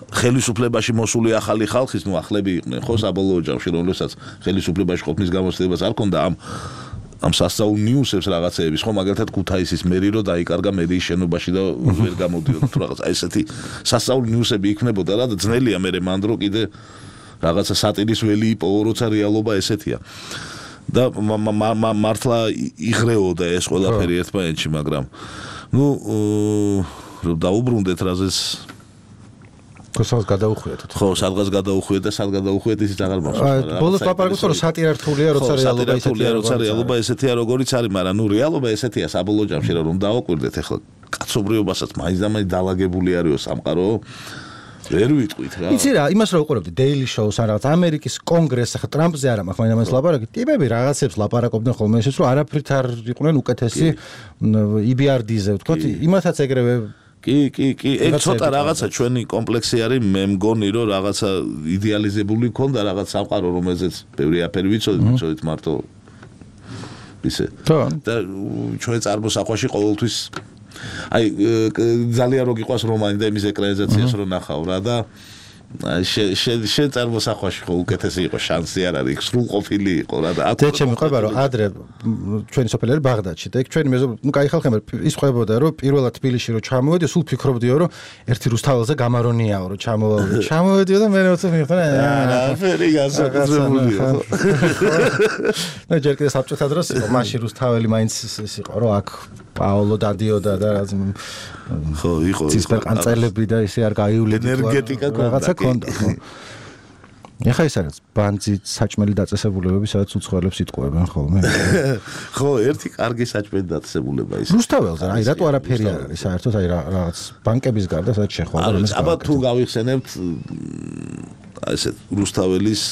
ხელისუფლებაში მოსული ახალი ხალხის ახლები იყვნენ ხო საბოლოო ჯამში რომელსაც ხელისუფლებაში ყოფნის გამოცდილებას არ ქონდა ამ სასწაულ ნიუსებს რაღაცეების ხო მაგალითად ქუთაისის მერი რო დაიკარგა მერიის შენობაში და ვერ გამოდიოდა თუ რაღაც აი ესეთი სასწაულ ნიუსები იქნებოდა რა და ძნელია მე მანდრო კიდე რაღაცა სატირის ველი იპოვო როცა რეალობა ესეთია და მართლა იღრეოდა ეს ყველაფერი ერთმანეთში მაგრამ ნუ დაუბრუნდეთ რაზეც სადღაც გადაუხვიეთ. ხო, სადღაც გადაუხვიეთ და სად გადაუხვიეთ ისიც აღარ მახსოვს. ბოლოს ლაპარაკობთ რომ სატირა რთულია, როცა რეალობა ესეთია, როგორიც არის, მაგრამ ნუ რეალობა ესეთია საბოლოო ჯამში რომ დააკვირდეთ ახლა კაცობრიობასაც მაინც და მაინც დალაგებული არისო სამყარო. ვერ ვიტყვით რა. იცი რა, იმას რა უყურებდი Daily Show-ს ან რაღაც ამერიკის კონგრესს, ახლა ტრამპზე არა მაქვს მაინც ლაპარაკი. ტიპები რაღაცებს ლაპარაკობდნენ ხოლმე ისიც რომ არაფრით არ იყვნენ უკეთესი EBRD-ზე, ვთქვათ, იმათაც ეგრევე კი, ეგ ცოტა რაღაცა ჩვენი კომპლექსი არის, მე მგონი რომ რაღაცა იდეალიზებული ქონდა რაღაც სამყარო, რომელზეც ბევრი აფერი ვიცოდით მარტო ისე. და ჩვენ წარმოსახვაში ყოველთვის აი ძალიან რო გიყვას რომანი და იმის ეკრანიზაციას რო ნახავ რა და შენ წარმოსახვაში ხო უკეთესი იყო შანსი არ არის სრულყოფილი იყო რა და აქ ჩემი ყვება რომ ადრე ჩვენი სოფელი არის ბაღდადში და ეგ ჩვენი ნუ кай ხალხი ის ყვებოდა რომ პირველად თბილისში რო ჩამოვედი სულ ფიქრობდიო რომ ერთი რუსთაველზე გამარონიაო რომ ჩამოვედიო და მე როცა მიხდა არაფერი გასაკუთრებულია ნუ ჯერ კიდე საბჭოთა დროს იყო მაშინ რუსთაველი მაინც ის იყო რომ აქ პაოლო დადიოდა და რაც ხო იყო ცისფერყანწელები და ისე არ გაივლით ენერგეტიკა ქონდა ხო ეხა ის არის ბანძი საჭმელი დაწესებულებები სადაც უცხოელებს იტყუებენ ხოლმე ხო ერთი კარგი საჭმელი დაწესებულება ის რუსთაველზე აი რატო არაფერი არ არის საერთოდ აი რაღაც ბანკების გარდა სადაც შეხვდა აბა თუ გავიხსენებთ აი ესე რუსთაველის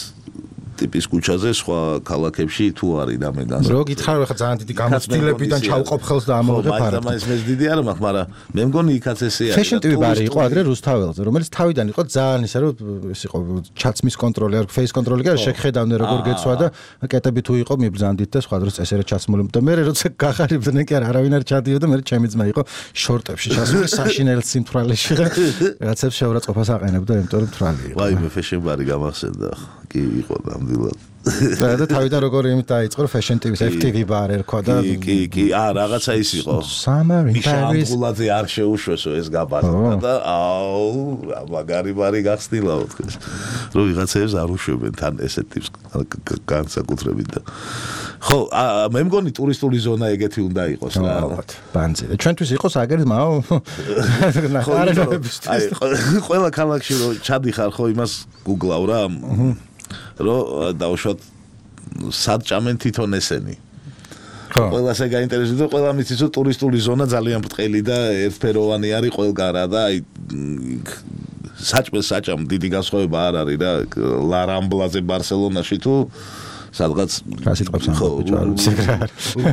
ტიპის ქუჩაზე სხვა ქალაქებში თუ არის და მე განსაკუთრებით. რო გითხარ ხა ძალიან დიდი გამოცდილებიდან ჩავყოფ ხელს და ამოვიღებ არა. მაინც მე დიდი არ მაქვს, მაგრამ მე მგონი იქაც ესე არის. Fashion TV ბარი იყო ადრე რუსთაველზე, რომელიც თავიდან იყო ძალიან ისე რომ ეს იყო ჩაცმის კონტროლი არ face კონტროლი კი არა, შეგხედავდნენ როგორ გეცვა და კეტები თუ იყო მიბრძანდით და სხვა დროს წესერე ჩაცმული და მე როცა გახარებდნენ კი არა, არავინ არ ჩადიოდა, მე ჩემი ძმა იყო შორტებში ჩასული საშინელ სიმთვრალეში და რაღაცებს შეურაცხყოფას აყენებდა, იმიტომ რომ თვალი იყო. ვაი მე fashion ბარი გამახსენდა. კი იყო ნამდვილად. და თავიდან როგორ იმით დაიწყო Fashion TV-ს FTV ბარ ერქვა და კი რაღაცა ის იყო. Summer in Paris. მიშანგულაძე არ შეუშვესო ეს გაბაზა და აუ მაგარი ბარი გახსნილაო თქოს. რომ ვიღაცებს არ უშვებენ თან ესეთ ტიპს განსაკუთრებით და ხო მე მგონი ტურისტული ზონა ეგეთი უნდა იყოს რა. ბანძი. ჩვენთვის იყოს აგერმაო. აი ყველა ქალაქში რომ ჩადიხარ ხო იმას გუგლავ რა. რომ დავუშვათ სად ჭამენ თვითონ ესენი. ყველას ეგ გაინტერესებს და ყველა მიცის რომ ტურისტული ზონა ძალიან ბრტყელი და ერთფეროვანი არის ყველგან რა და აი საჭმელ დიდი განსხვავება არ არის რა ლა რამბლაზე ბარსელონაში თუ სადღაც რასიტყვებს ამბობ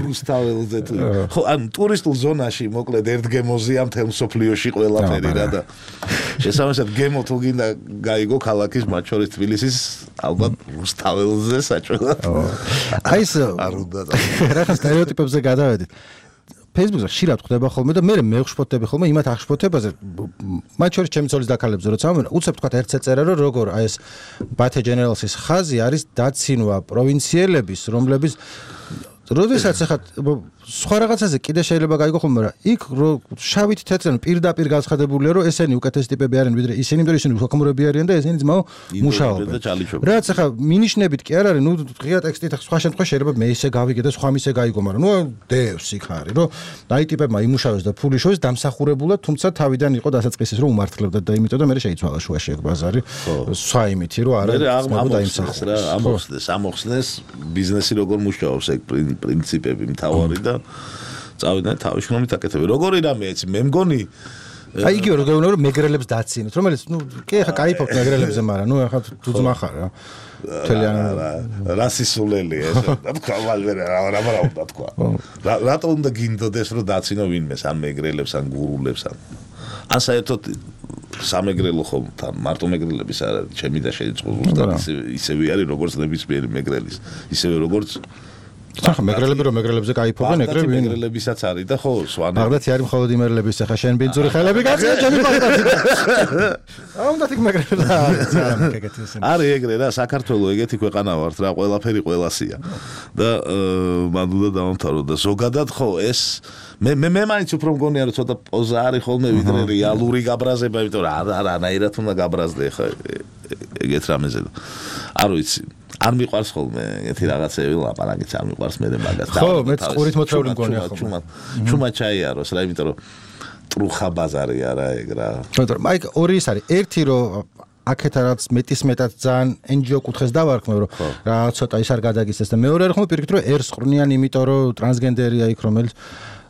რუსთაველზე თუ ხო ან ტურისტულ ზონაში მოკლედ ერთ გემოზია მთელ სოფლიოში ყველაფერი რა და შესაბამისად გემო თუ გინდა გაიგო ქალაქის მათ შორის თბილისის ალბათ რუსთაველზე საჭმელად აი ეს რა სტერეოტიპებზე გადავედით Facebook-ზე ხშირად ხდება ხოლმე და მე მევხშფოთები ხოლმე იმათ აღშფოთებაზე მათ შორის ჩემი ცოლის დაქალებებზე როცა ამბობენ უცებ თქვა ერთ წეწერა რომ როგორ აი ეს Bate Generals-ის ხაზი არის დაცინვა პროვინციელების რომლების როდესაც ახლა სხვა რაღაცაზე კიდე შეიძლება გაიგო ხოლმე რა იქ შავით თეთრენ პირდაპირ გაცხადებულია რომ ესენი უკეთესი ტიპები არიან ვიდრე ისინი იმიტომ ისინი უხმურები არიან და ესენი ძმაო მუშაობენ რაც ახლა მინიშნებით კი არ არის ნუ ღია ტექსტით სხვა შემთხვევაში შეიძლება მე ისე გავიგე და სხვა მისე გაიგო მაგრამ ნუ დევს იქ არის რომ აი ტიპებმა იმუშავეს და ფული შოეს დამსახურებულად თუმცა თავიდან იყო დასაწყისის რომ უმართლებდა და იმიტომ და მე შეიცვალა შუაში ეგ ბაზარი სხვა იმითი რომ არა ამოხსნეს რა ამოხსნეს ბიზნესი როგორ მუშაობს ეგ პრინციპები მთავარი და წავიდნენ თავშრომით აკეთებენ. როგორი რამე ეცი, მე მგონი აი იგივე რომ მეგრელებს დაცინოთ, რომელიც კი ახლა კაიფობთ მეგრელებზე, მაგრამ ახლა თუძმა ხარ რა. რასისულელი ეს თქვა რა უნდა თქვა. რატო უნდა გინდოდეს რომ დაცინო ვინმეს ან მეგრელებს ან გურულებს ან საერთოდ სამეგრელო ხომ თან მარტო მეგრელების არ არის ჩემი და შეიძლება ისევე არის როგორც ნებისმიერი მეგრელის ისევე როგორც ხა მეგრელები რომ მეგრელებზე кайფობენ ეგრევე მეგრელებისაც არის და ხო სვანე ბაღდათი არის მხოლოდ იმერლების ახლა შენ ბინძური ხელები გაწია ჩემი ბაღდათი აუნდა თქ მეგრელები არის ეგრე რა საქართველოს ეგეთი ქვეყანა ვართ რა ყველაფერი ყველასია და მან უნდა დავამთავრო და ზოგადად ხო ეს მე მაინც უფრო მგონია რომ ცოტა პოზა არის ხოლმე ვიდრე რეალური გაბრაზება იმიტომ რომ არანაირად უნდა გაბრაზდე ხა ეგეთ რამეზე არ ვიცი არ მიყვარს ხოლმე ეგეთი რაღაცები ლაპარაკიც არ მიყვარს მე მაგას ხო მეც ყურით მოთრეული მგონია ხოლმე ჩუმა ჩაიაროს რა იმიტომ რომ ტრუხა ბაზარი არა ეგ რა მაგრამ მაიკ ორი ის არის ერთი რომ აქეთ რაც მეტად ძალიან NGO კუთხეს დავარქმევ რომ რა ცოტა ის არ გადაგიცეს და მეორე ხომ პირიქით რომ ერს ყრნიან იმიტომ რომ ტრანსგენდერია იქ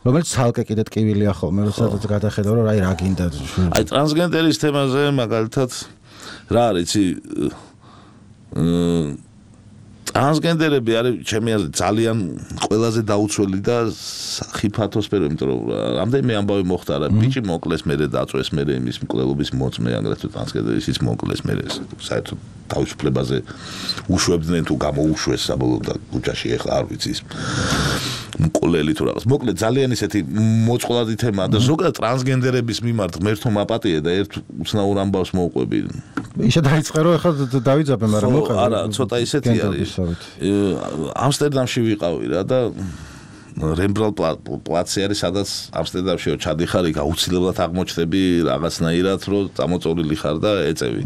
რომელიც ცალკე კიდე ტკივილია ხოლმე როდესაც გადახედავ რომ აი რა გინდა აი ტრანსგენდერის თემაზე მაგალითად რა არის ტრანსგენდერები არის ჩემი აზრით ძალიან ყველაზე დაუცველი და ხიფათოსფერო იმიტომ რომ რამდენიმე ამბავი მოხდა რა ბიჭი მოკლეს მერე დაწვეს მერე იმის მკვლელობის მოწმე აგრეთვე ტრანსგენდერისიც მოკლეს მერე საერთოდ თავისუფლებაზე უშვებდნენ თუ გამოუშვეს საბოლოოდ და ქუჩაში ეხლა არ ვიცი ის მკვლელი თუ რაღაც მოკლედ ძალიან ისეთი მოწყვლადი თემაა და ზოგადად ტრანსგენდერების მიმართ ღმერთო მაპატიე და ერთ უცნაურ ამბავს მოუყვები ისე დაიწყე რომ ეხლა დავიძაბე მაგრამ მოყევი არა ცოტა ისეთი არის ამსტერდამში ვიყავი რა და რემბრალდ პლაცი არის სადაც ამსტერდამში ჩადიხარ იქ აუცილებლად აღმოჩნდები რაღაცნაირად რომ წამოწოლილი ხარ და ეწევი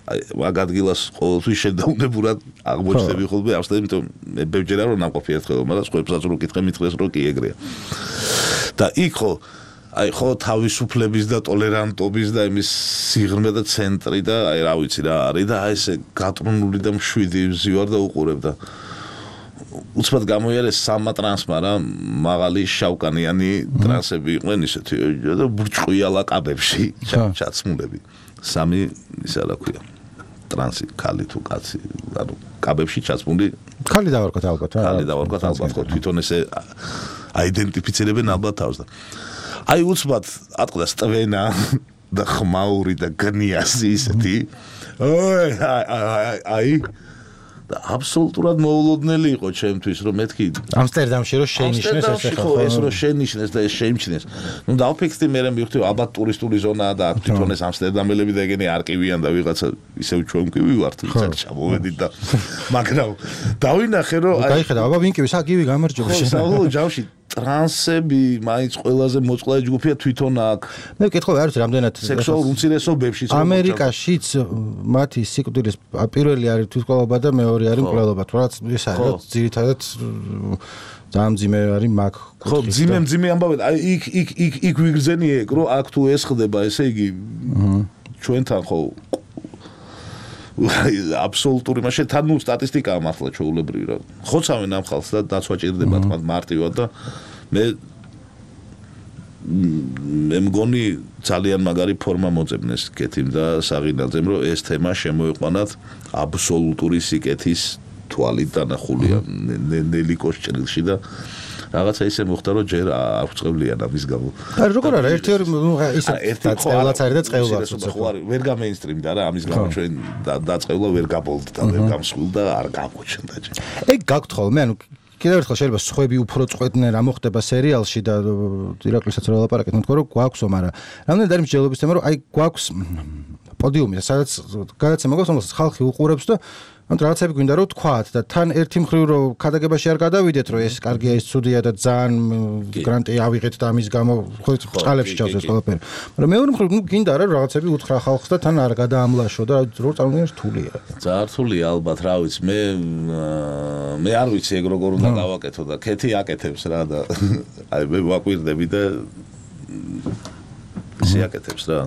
აი მაგ ადგილას ყოველთვის შედაუნებურად აღმოჩნდები ხოლმე ამსტერდამში იმიტომ მე ბევრჯერა რომ ნამყოფი ერთხელ მაგრამ სხვებსაც რო კითხე მითხრეს რომ კი ეგრეა და იქ ხო აი ხო თავისუფლების და ტოლერანტობის და იმის სიღრმე და ცენტრი და აი რა ვიცი რა არის და აი ესე გატრუნული და მშვიდი ვზივარ და უყურებ და უცბად გამოიარეს სამა ტრანსმა რა მაღალი შავკანიანი ტრანსები იყვნენ ისეთი და ბრჭყვია ლაკაბებში ჩაცმულები სამი ისა რა ქვია ტრანსი ქალი თუ კაცი ანუ კაბებში ჩაცმული ქალი დავარქოთ ალბათ რა ქალი დავარქოთ ალბათ ხო თვითონ ესე აიდენტიფიცირებენ ალბათ თავს და აი უცბად ატყდა სტვენა და ხმაური და გნიასი ისეთი აი და აბსოლუტურად მოულოდნელი იყო ჩემთვის რომ მეთქი ამსტერდამში რომ შეინიშნეს ესე ხო ეს რომ შეინიშნეს და ეს შეიმჩნეს ნუ დავფიქრდი მე მივხვდი ალბათ ტურისტული ზონაა და აქ თვითონ ეს ამსტერდამელები და ეგენი არ ყივიან და ვიღაცა ისევ ჩვენ კი ვივართ ვიღაც ჩამოვედით და მაგრამ დავინახე რომ აი გაიხედა აბა ვინ კი საკივი გამარჯობა შენ საერთოდ ჯავში ტრანსები მაინც ყველაზე მოწყვლადი ჯგუფია თვითონ აქ მე ვკითხავ არის რამდენად სექსუალურ უმცირესობებში ამერიკაშიც მათი სიკვდილის პირველი არის თვითმკვლელობა და მეორე არის მკვლელობა თორაც ეს არის ძირითადად ძალიან მძიმე არის მაგ ხო მძიმე ამბავი აი იქ ვიგრძენი ეგ რომ აქ თუ ეს ხდება ესე იგი ჩვენთან ხო აბსოლუტური მაშინ თან ნუ სტატისტიკაა მართლა ჩვეულებრივი რა ხოცავენ ამ ხალხს და დაცვა ჭირდება თქმა მარტივად და მე მგონი ძალიან მაგარი ფორმა მოწებნეს კეთილ და საღინალძემ რომ ეს თემა შემოიყვანათ აბსოლუტური სიკეთის თვალით დანახულია ნელიკოს ჭრილში და რაღაცა ისე მოხდა რომ ჯერ არ ვწყევლიან ამის გამო. არა როგორ არა ერთი ისე წევლაც არის და წევლაც ხო არის ვერ გამეინსტრიმდა რა ამის გამო ჩვენ დაწყევლა ვერ გაბოლდა ვერ გამსხვილდა არ გამოჩნდა ჯერ. ეგ გაქვთ ხოლმე ანუ კიდევ ერთხელ შეიძლება სხვები უფრო წყვეტდნენ რა მოხდება სერიალში და ირაკლისაც რა ლაპარაკეთ მე თქვა რომ გვაქვსო მაგრამ რამდენად არის მსჯელობის თემა რომ აი გვაქვს პოდიუმი სადაც გადაცემა გვაქვს რომელსაც ხალხი უყურებს და ანუ რაღაცები გვინდა რომ თქვათ და თან ერთი მხრივ რომ ქადაგებაში არ გადავიდეთ რომ ეს კარგია ეს ცუდია და ძალიან გრანტი ავიღეთ და ამის გამო ხო წყალებში ჩავს ეს ყველაფერი მაგრამ მეორე მხრივ ნუ გინდა რა რაღაცები უთხრა ხალხს და თან არ გადაამლაშო და რო წარმოგიდგენს რთულია ძალიან რთულია ალბათ რა ვიცი მე არ ვიცი ეგ როგორ უნდა დავაკეთო და ქეთი აკეთებს რა და აი მე ვაკვირდები და ისე აკეთებს რა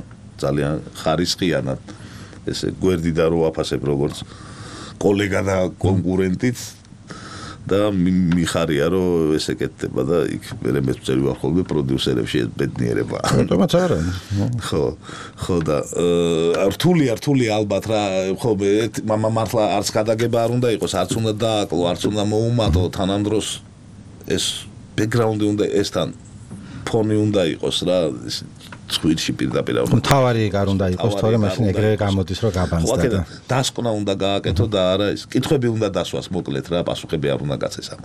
ძალიან ხარისხიანად ესე გვერდიდან რო აფასებ როგორც კოლეგა და კონკურენტიც და მიხარია რომ ეს ეკეთება და იქ მე მეწევი ვარ ხოლმე პროდიუსერებში ეს ბედნიერება. თუმცა არა. ხო და რთული ალბათ რა ხო მართლა არც გადაგება არ უნდა იყოს, არც უნდა დააკლო, არც უნდა მოუმატო თანამდროს ეს ბექგრაუნდი უნდა ესთან ფონი უნდა იყოს რა ცხვირში პირდაპირ თავარი არ უნდა იყოს თორე მაშინ ეგრევე გამოდის რომ გაბანძდა და დასკვნა უნდა გააკეთო და არა ის კითხვები უნდა დასვას მოკლედ რა პასუხები არ უნდა გაცეს ამ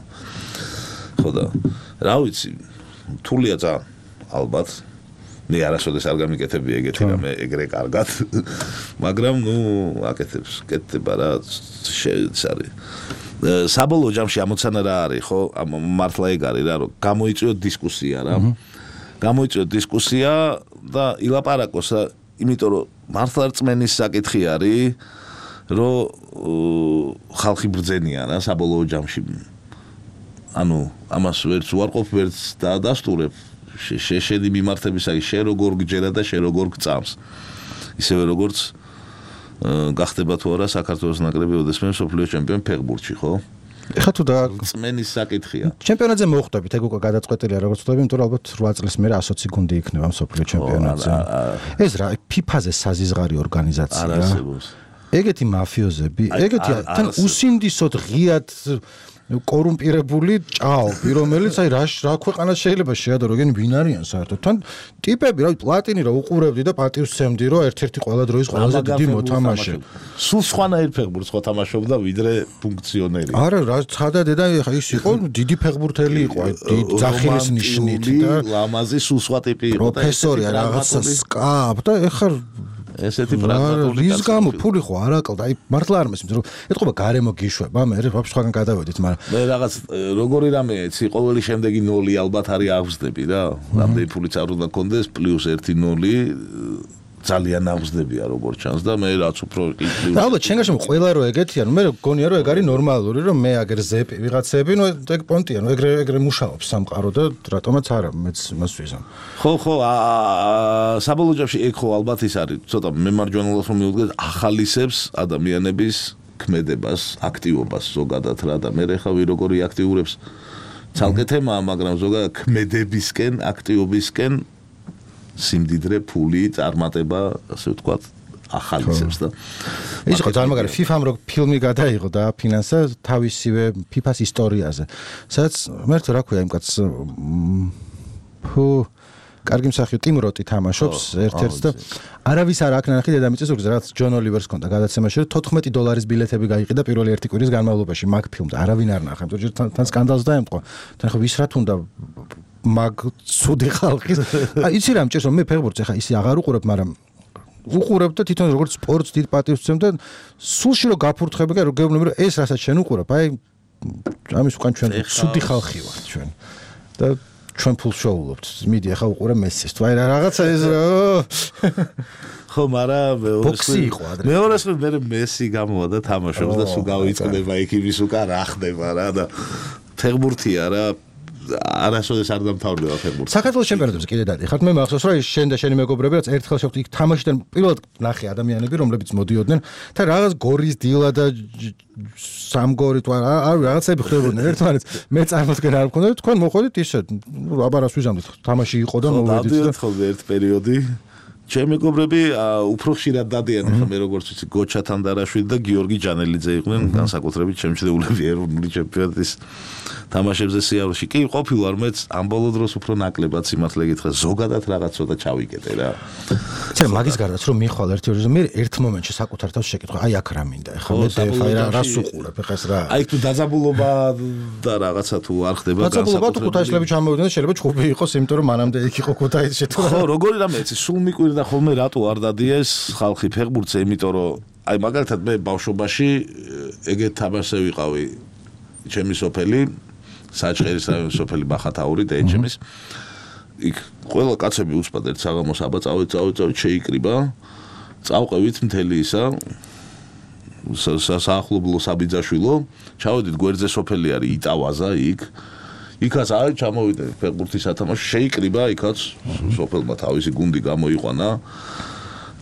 ხო და რა ვიცი თულია ძალიან ალბათ მე არასოდეს არ გამიკეთები ეგეთი რამე ეგრე კარგად მაგრამ ნუ აკეთებს კეთდება რა არის საბოლოო ჯამში ამოცანა რა არის ხო მართლა ეგ არის რა რომ გამოიწვიოთ დისკუსია რა გამოიწვიოთ დისკუსია და ილაპარაკოს რა იმიტომ რომ მართლა რწმენის საკითხი არის რომ ხალხი ბრძენია რა საბოლოო ჯამში ანუ ამას ვერც უარყოფ ვერც დაადასტურებ შეშედი მიმართებისაი შე როგორ გჯერა და შე როგორ გწამს ისევე როგორც გახდება თუ არა საქართველოს ნაკრები ოდესმე მსოფლიო ჩემპიონი ფეხბურთში ხო ეხლა თუ და წმენის საკითხია ჩემპიონატზე მოხვდებით ეგ უკვე გადაწყვეტილია როგორც ვთქვი იმიტომ რომ ალბათ 8 წლის მერე 120 გუნდი იქნება მსოფლიო ჩემპიონატზე ეს რა ფიფაზე საზიზღარი ორგანიზაცია ეგეთი მაფიოზები ეგეთი თან უსინდისოდ ღიად კორუმპირებული ჭაობი რომელიც აი რა ქვეყანას შეიძლება შეადო როგორ ვინ არიან საერთოდ თან ტიპები რა პლატინი რა უყურებდი და პატივსცემდი რომ ერთ-ერთი ყველა დროის ყველაზე დიდი მოთამაშე სულ სხვანაირ ფეხბურთს ხო თამაშობდა ვიდრე ფუნქციონერი არა რა ცხადა დედა ის იყო დიდი ფეხბურთელი იყო აი ძახილის ნიშნით და ლამაზი სულ სხვა ტიპი იყო პროფესორი რაღაცა სკაპ და ეხლა ესეთი პრაგმატული რის გამო ფული ხო არ აკლდა აი მართლა არ მესმის რომ ეთყობა გარემო გიშვება მე ვაფშე სხვაგან გადავედით მაგრამ მე რაღაც როგორი რამე იცი ყოველი შემდეგი 0 ალბათ არის აღზრდები რა რამდენი ფულიც არ უნდა კონდეს პლუს 1-0 ძალიან აღზრდებია როგორც ჩანს და მე რაც უფრო და ალბათ შენგანში ყველა რო ეგეთია ნუ მე გონია რომ ეგ არის ნორმალური რომ მე აგერ ზეპი ვიღაცები ნუ ეგ პონტია ნუ ეგრე მუშაობს სამყარო და რატომაც არა მეც მას ვიზამ ხო საბოლოო ჯამში ეგ ხო ალბათ ის არის ცოტა მემარჯვენელს რომ მივუდგეთ ახალისებს ადამიანების ქმედებას აქტივობას ზოგადად რა და მე ხა ვი როგორი აქტიურებს ცალკე თემაა მაგრამ ზოგადად ქმედებისკენ აქტიობისკენ სიმდიდრე ფული წარმატება ასე ვთქვათ ახალისებს და ის ხო ძალიან მაგარი FIFA-მ რო ფილმი გადაიღო და ფინანსა თავისივე FIFA-ს ისტორიაზე სადაც მე რა ქვია იმ კაცს კარგი მსახიობი ტიმ როტი თამაშობს ერთ-ერთს და არავის არ აქ ნახი დედამიწის ზურგზე რაღაც ჯონ ოლივერს ქონდა გადაცემაში რომ $14 ბილეთები გაიყიდა პირველი ერთი კვირის განმავლობაში მაგ ფილმს არავინ არ ნახა იმიტომ თან სკანდალს დაემტყვა თან ხო ვის რა თუნდა მაგ ცუდი ხალხის აი იცი რა მჭირს რომ მე ფეხბურთს ახლა ისე აღარ უყურებ მაგრამ უყურებ და თვითონ როგორც სპორტს დიდ პატივს ვცემ და სულში რომ გაფურთხები და რომ გეუბნები რომ ეს რასაც შენ უყურებ აი ამის უკან ჩვენ ცუდი ხალხი ვართ ჩვენ და ჩვენ ფულს შოულობთ მიდი ახლა უყურე მესის თუ აი რაღაცა ეს ხო მაგრამ მეორეს მე მესი გამოვა და თამაშობს და სულ გავიწყდება იქ იმის უკან რა ხდება რა და ფეხბურთია რა არასოდეს არ დამთავრდება ფეხბურთი. საქართველოს ჩემპიონატებზე კიდე დადიხართ. მე მახსოვს რომ შენ და შენი მეგობრები რაც ერთხელ შეხვდით იქ თამაშიდან პირველად ნახე ადამიანები რომლებიც მოდიოდნენ და რაღაც გორის დილა და სამგორი თუ არ რაღაცები ხდებოდნენ ერთმანეთს. მე წარმოდგენ არ მქონდა და თქვენ მოходით ისე აბარას ვიზამდით. თამაში იყო და მოვედით და ხოლმე ერთ პერიოდი ჩემი მეგობრები უფრო ხშირად დადიან ხა მე როგორც ვიცი გოჩა თანდარაშვილი და გიორგი ჯანელიძე იყვნენ განსაკუთრებით ჩემჩნეულები ეროვნული ჩემპიონატის თამაშებზე სიარულში კი ყოფილვარ მეც ამ ბოლო დროს უფრო ნაკლებად სიმართლე გითხრა ზოგადად რაღაც ცოტა ჩავიკეტე რა ცერა მაგის გარდაც რომ მიხვალ ერთი ორი მე ერთ მომენტში საკუთარ თავს შეკითხა აი აქ რა მინდა ეხლა მე დეფაი რას უყურებ ეხლა ეს რა აი თუ დაძაბულობა და რაღაცა თუ არ ხდება განსაკუთრებით თუ ქუთაისლები ჩამოვიდნენ და შეიძლება ჩხუბი იყოს იმიტომ რომ მანამდე იქ იყო ქუთაისში თუ ხო როგორი რამე იცი სულ მიკვირდა ხოლმე რატო არ დადიეს ხალხი ფეხბურთზე იმიტომ რომ აი მაგალითად მე ბავშვობაში ეგეთ თამაშზე ვიყავი ჩემი სოფელი საჭყერის რაიონის სოფელი ბახათაური და ეჩემის იქ ყველა კაცები უცბად ერთ საღამოს აბა წავით შეიკრიბა წავყევით მთელი ისა საახლობლო საბიძაშვილო ჩავედით გვერდზე სოფელი არის იტავაზა იქაც აი ჩამოვიდა ფეხბურთის სათამაშო შეიკრიბა იქაც სოფელმა თავისი გუნდი გამოიყვანა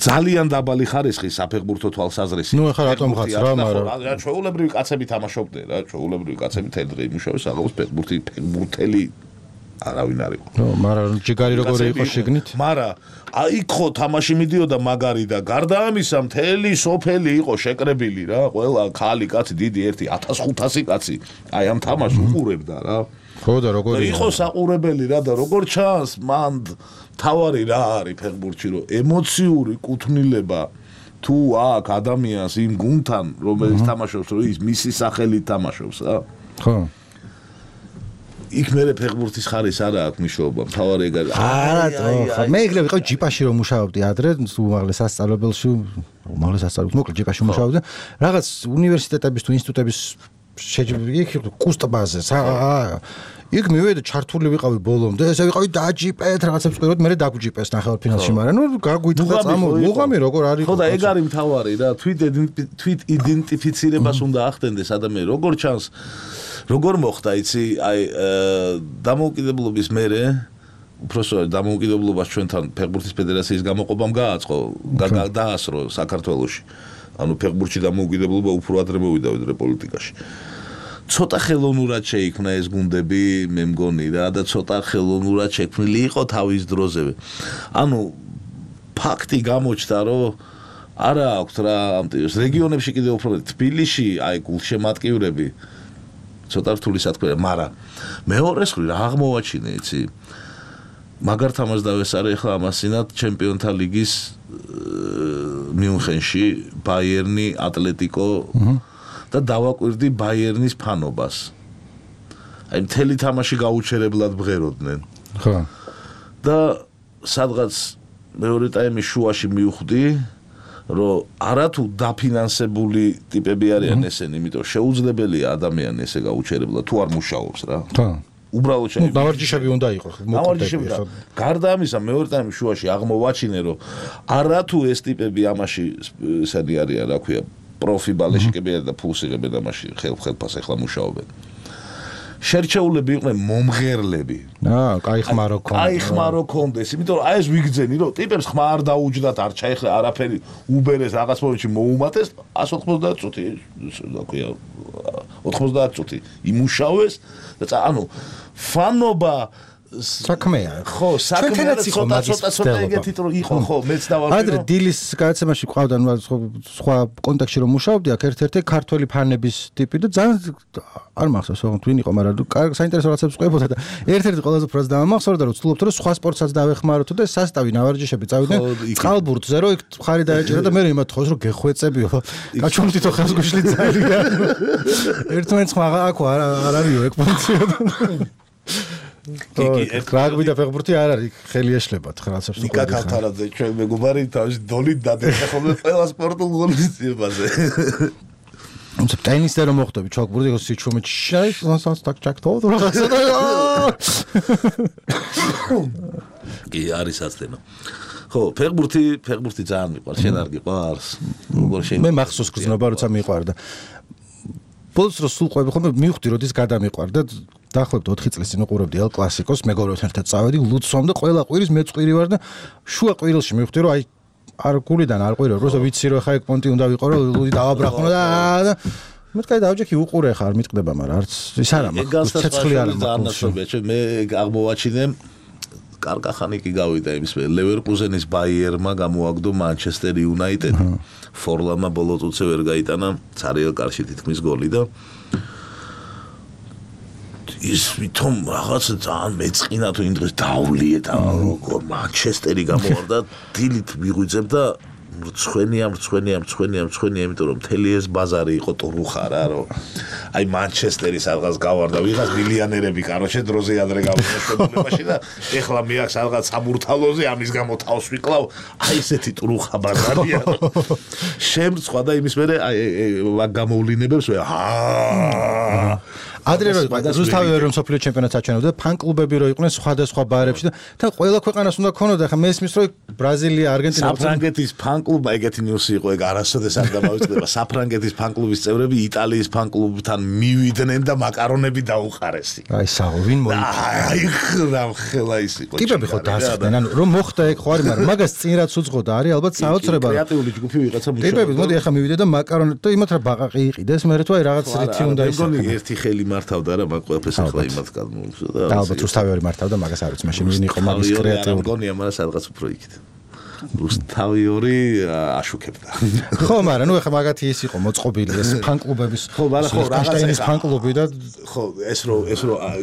ძალიან დაბალი ხარისხი საფეხბურთო თვალსაზრისით. ნუ ახლა რატომ ხაც რა, მაგრამ ჩვეულებრივი კაცები თამაშობდნენ რა, ჩვეულებრივი კაცები თელდღე იმუშავეს, აღავს ფეხბურთელი არავინ არ იყო. ნუ, მაგრამ ჯიგარი როგორი იყო შეგნით? მაგრამ იქ ხო თამაში მიდიოდა მაგარი და გარდა ამისა მთელი სოფელი იყო შეკრებილი რა, ყველა ხალი კაცი დიდი 1500 კაცი აი ამ თამაშს უყურებდა რა. ხო და როგორი იყო საყურებელი რა და როგორ ჩანს მან თავარი რა არის ფეხბურთში რომ ემოციური კუთვნილება თუ აქ ადამიანს იმ გუნდთან რომელიც თამაშობს რომ ის მისი სახელით თამაშობს რა. ხო იქ მე ფეხბურთის ხარის არა აქვს მნიშვნელობა თავარი ეგ არა ხო მე ეგრევე ვიყავი ჯიპაში რომ მუშაობდი ადრე უმაღლეს სასწავლებელში მოკლედ ჯიპაში მუშაობდი რაღაც უნივერსიტეტების თუ ინსტიტუტების იქ კუსტბაზე იქ მივედი ჩართული ვიყავი ბოლომდე ესე ვიყავი დაჯიპეთ რაღაცებს ვყიროთ მე დაგვჯიპეს ნახევარ ფინალში მაგრამ ნუ გაგვითხა მუღამი როგორ არის ხო და ეგ არის მთავარი რა თვით იდენტიფიცირებას უნდა ახდენდეს ადამიანი როგორ ჩანს როგორ მოხდა იცი აი დამოუკიდებლობის მერე უბრალოდ დამოუკიდებლობას ჩვენთან ფეხბურთის ფედერაციის გამოყოფამ გააწყო დაასრო საქართველოში ანუ ფეხბურთში დამოუკიდებლობა უფრო ადრე მოვიდა ვიდრე პოლიტიკაში ცოტა ხელოვნურად შეიქმნა ეს გუნდები მე მგონი რა და ცოტა ხელოვნურად შექმნილი იყო თავის დროზევე ანუ ფაქტი გამოჩნდა რომ არა აქვს რა ამ რეგიონებში კიდევ უფრო თბილისში აი გულშემატკივრები ცოტა რთული სათქმელია, მაგრამ მეორეს მხრივ რა აღმოვაჩინე, იცი? მაგარ თამაშს დავესარე ახლა ამასინად ჩემპიონთა ლიგის მიუნხენში ბაიერნი, ატლეტიკო და დავაკვირდი ბაიერნის ფანობას. აი მთელი თამაში გაუჩერებლად ბღეროდნენ. ხო. და სადღაც მეორე ტაიმის შუაში მივხვდი რომ არათუ დაფინანსებული ტიპები არიან ესენი, იმიტომ შეუძლებელია ადამიანი ესე გაუჩერებლად თუ არ მუშაობს რა. ხო. უბრალოდ შეიძლება. დავარჯიშები უნდა იყოს. დავარჯიშები. გარდა ამისა, მეორე ტაიმის შუაში აღმოვაჩინე, რომ არათუ ეს ტიპები ამაში ესენი არიან, რა ქვია, პროფი ბალეშიკები და ფულს იღებენ ამაში, ხელფას ახლა მუშაობენ. შერჩეულები იყვნენ მომღერლები. კაი ხმარო ქონდეს. კაი ხმარო ქონდეს, იმიტომ რომ აი ეს ვიგძენი, რომ ტიპებს ხმა არ დაუჯდათ, არ ჩაეხლა არაფერი, უბერეს რაღაც მომენტში მოუმატეს 190 წუთი, რა ქვია, 90 წუთი იმუშავეს და ანუ ფანობა საქმეა. ხო, საქმეა ცოტა ეგეთი რომ იყო, ხო, მეც დავარკვიე. ადრე დილის გადაცემაში ყავდა სხვა კონტექსტში რომ მუშაობდი, აქ ერთ-ერთი ქართველი ფანების ტიპი და ძალიან არ მახსოვს თვინ იყო, მაგრამ საინტერესო რაღაცებს ყვებოდა და ერთ-ერთი ყველაზე უფრო დამახსოვრდა რომ ვცდილობთ რომ სხვა სპორტსაც დავეხმაროთ და სასტავი ნავარჯიშები წავიდნენ წყალბურთზე რომ იქ ხარი დაეჭერა და მე იმათ ხოს რომ გეხვეწებიო. გაჩვენთითო ხელს გუშლი ძალიან. ერთმანეთს ხმა აქ არ არისო ეგ ფუნქცია. რაგბი და ფეხბურთი არ არის ხელი ეშლებათ რაღაცებს თუ ნიკა ქალთარაძე ჩვენ მეგობარი თავის დოლით დადეხა ხოლმე ყველა სპორტულ ღონისძიებაზე თუმცა ტენისზე რომ მოხდები ჩაკბურდი იყო სიჩუმით შაის так ჩაკთო რაღაცა კი არის ასთენო ხო ფეხბურთი ძალიან მიყვარს შენ არ გიყვარს როგორ შენ მე მახსოვს გზნობა როცა მიყვარდა ბოლოს რო სულ ყვები ხოლმე მივხვდი რომ ის გადამიყვარდა დაახლოებით 4 წლის წინ უყურებდი ელ კლასიკოს მეგობრებთან ერთად წავედი ლუცვამ და ყველა ყვირის მე წვირი ვარ და შუა ყვირილში მივხვდი რომ აი არ გულიდან არ ყვირო როცა ვიცი რომ ხა ეგ პონტი უნდა ვიყო რომ ლუდი დავაბრახო და მეთქაი დავჯექი უყურე ხა არ მიტყდება მაგრამ არც ის არა მაქვს ცეცხლი არ მაქვს მე აღმოვაჩინე კარგახანი კი გავიდა იმის ლევერკუზენის ბაიერმა გამოაგდო მანჩესტერ იუნაიტედ ფორლამა ბოლო წუთზე ვერ გაიტანა ცარიელ კარში თითქმის გოლი და ის ვითომ რაღაც ძალიან მეწყინა თუ იმ დღეს დავლიე და როგორ მანჩესტერი გამოვარდა დილით მიღვიძებ და მრცხვენია იმიტომ რომ მთელი ეს ბაზარი იყო ტურუხა რა რომ აი მანჩესტერი სადღაც გავარდა ვიღაც მილიონერები კაროჩე დროზე ადრე გავიდა შეგულებაში და ეხლა მე აქ სადღაც სამურთალოზე ამის გამო თავს ვიკლავ აი ესეთი ტურუხა ბაზარია შემრცხვა და იმის მერე აი მაგ გამოვლინებებს ადრე რუსთავი რომ სოფლიო ჩემპიონატს აჩვენებდა, ფან-კლუბები რო იყვნენ სხვადასხვა ბარებში და თან ყველა ქვეყანას უნდა ქონოდა, ხა მესმის რომ ბრაზილია, არგენტინა, საფრანგეთის ფან-კლუბი ეგეთი ნიუსი იყო, ეგ არასოდეს არ დამავიწყდება. საფრანგეთის ფან-კლუბის წევრები იტალიის ფან-კლუბთან მივიდნენ და მაკარონები დაუყარეს. აი საღო, ვინ მოიწვა? აი ხელა ის იყო. ტიპები ხო დასხდნენ, ანუ რომ მოხდა ეგ ხო არის, მაგრამ მაგას წინ რაც უძღოდა არის ალბათ საოცრება. კრეატიული ჯგუფი ვიღაცა მუშაობდა. ტიპები მოდი ახლა მივიდე და მაკარონები და იმათ რა ბაყაყი იყიდეს, მე რა თუ აი რაღაც რითი უნდა ის. მეგონი ერთი ხელი მართავდა რა, მაგ ყველაფერს ახლა იმათ გადმოუგზო და ალბათ რუსთავი ორი მართავდა, მაგას არ ვიცი, მაშინ ვინ იყო მაგის კრეატიული. მეგონია, მაგრამ სადღაც უფრო იქით. რუსთავი ორი აშუქებდა. ხო, მაგრამ ნუ ახლა მაგათი ის იყო მოწყობილი ეს ფან-კლუბების. ხო, მაგრამ ხო რაღაცა ფან-კლუბი და ხო, ეს რო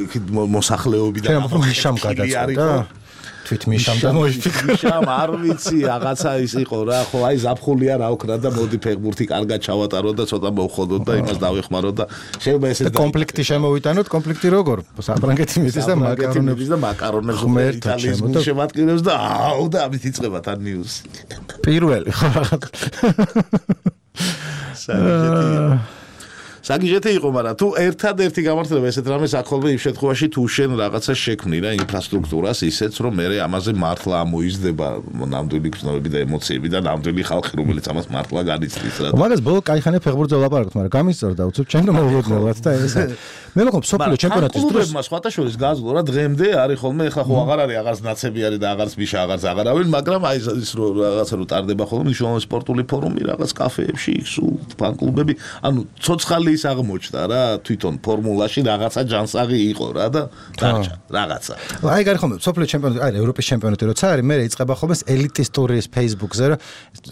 იქით მოსახლეობიდან მიშამ გადაწყვეტა. თვით მიშამ და მოიფიქრა. მიშამ არ ვიცი, რაღაცა ის იყო რა, ხო, აი ზაფხულია რა ოქრა და მოდი ფეხბურთი კარგად ჩავატარო და ცოტა მოვხოდოთ და იმას დავეხმარო და შეიძლება ესე კონფლიქტი შემოვიტანოთ, კონფლიქტი როგორ? საფრანგეთი მიდის და მაკარონებს იტალიის შემატკივრებს და აუ და ამით იწყება თან ნიუსი. პირველი ხო საგიჟეთი იყო, მაგრამ თუ ერთადერთი გამართლება ესეთ რამეს აქ ხოლმე იმ შემთხვევაში თუ შენ რაღაცა შექმნი რა ინფრასტრუქტურას ისეც რომ მე ამაზე მართლა ამოიზრდება ნამდვილი გრძნობები და ემოციები და ნამდვილი ხალხი რომელიც ამას მართლა განიცდის რა. მაგას ბოლო კაიხანე ფეხბურთზე ვლაპარაკობთ, მაგრამ გამისწორდა უცებ ჩემ და მოვუგებნელად და ეს მე მგონი სოფლიო ჩემპიონატის დროს კლუბებმა სხვათაშორის გაზლო რა დღემდე არის ხოლმე ეხლა ხო აღარ არის აღარც ნაცები არის და აღარც მიშა აღარც აღარავინ, მაგრამ აი ის რაღაცა რო ტარდება ხოლმე მნიშვნელოვანი სპორტული ფორუმი რაღაც კაფეებში სულ ფან-კლუბები, ანუ ცოცხალი ის აღმოჩნდა რა თვითონ ფორმულაში რაღაცა ჯანსაღი იყო რა და დარჩა რაღაცა. აი გარი ხოლმე სოფლიო ჩემპიონატი, აი ევროპის ჩემპიონატი როცა არის, მე იწყება ხოლმე ელიტისტური Facebook-ზე რა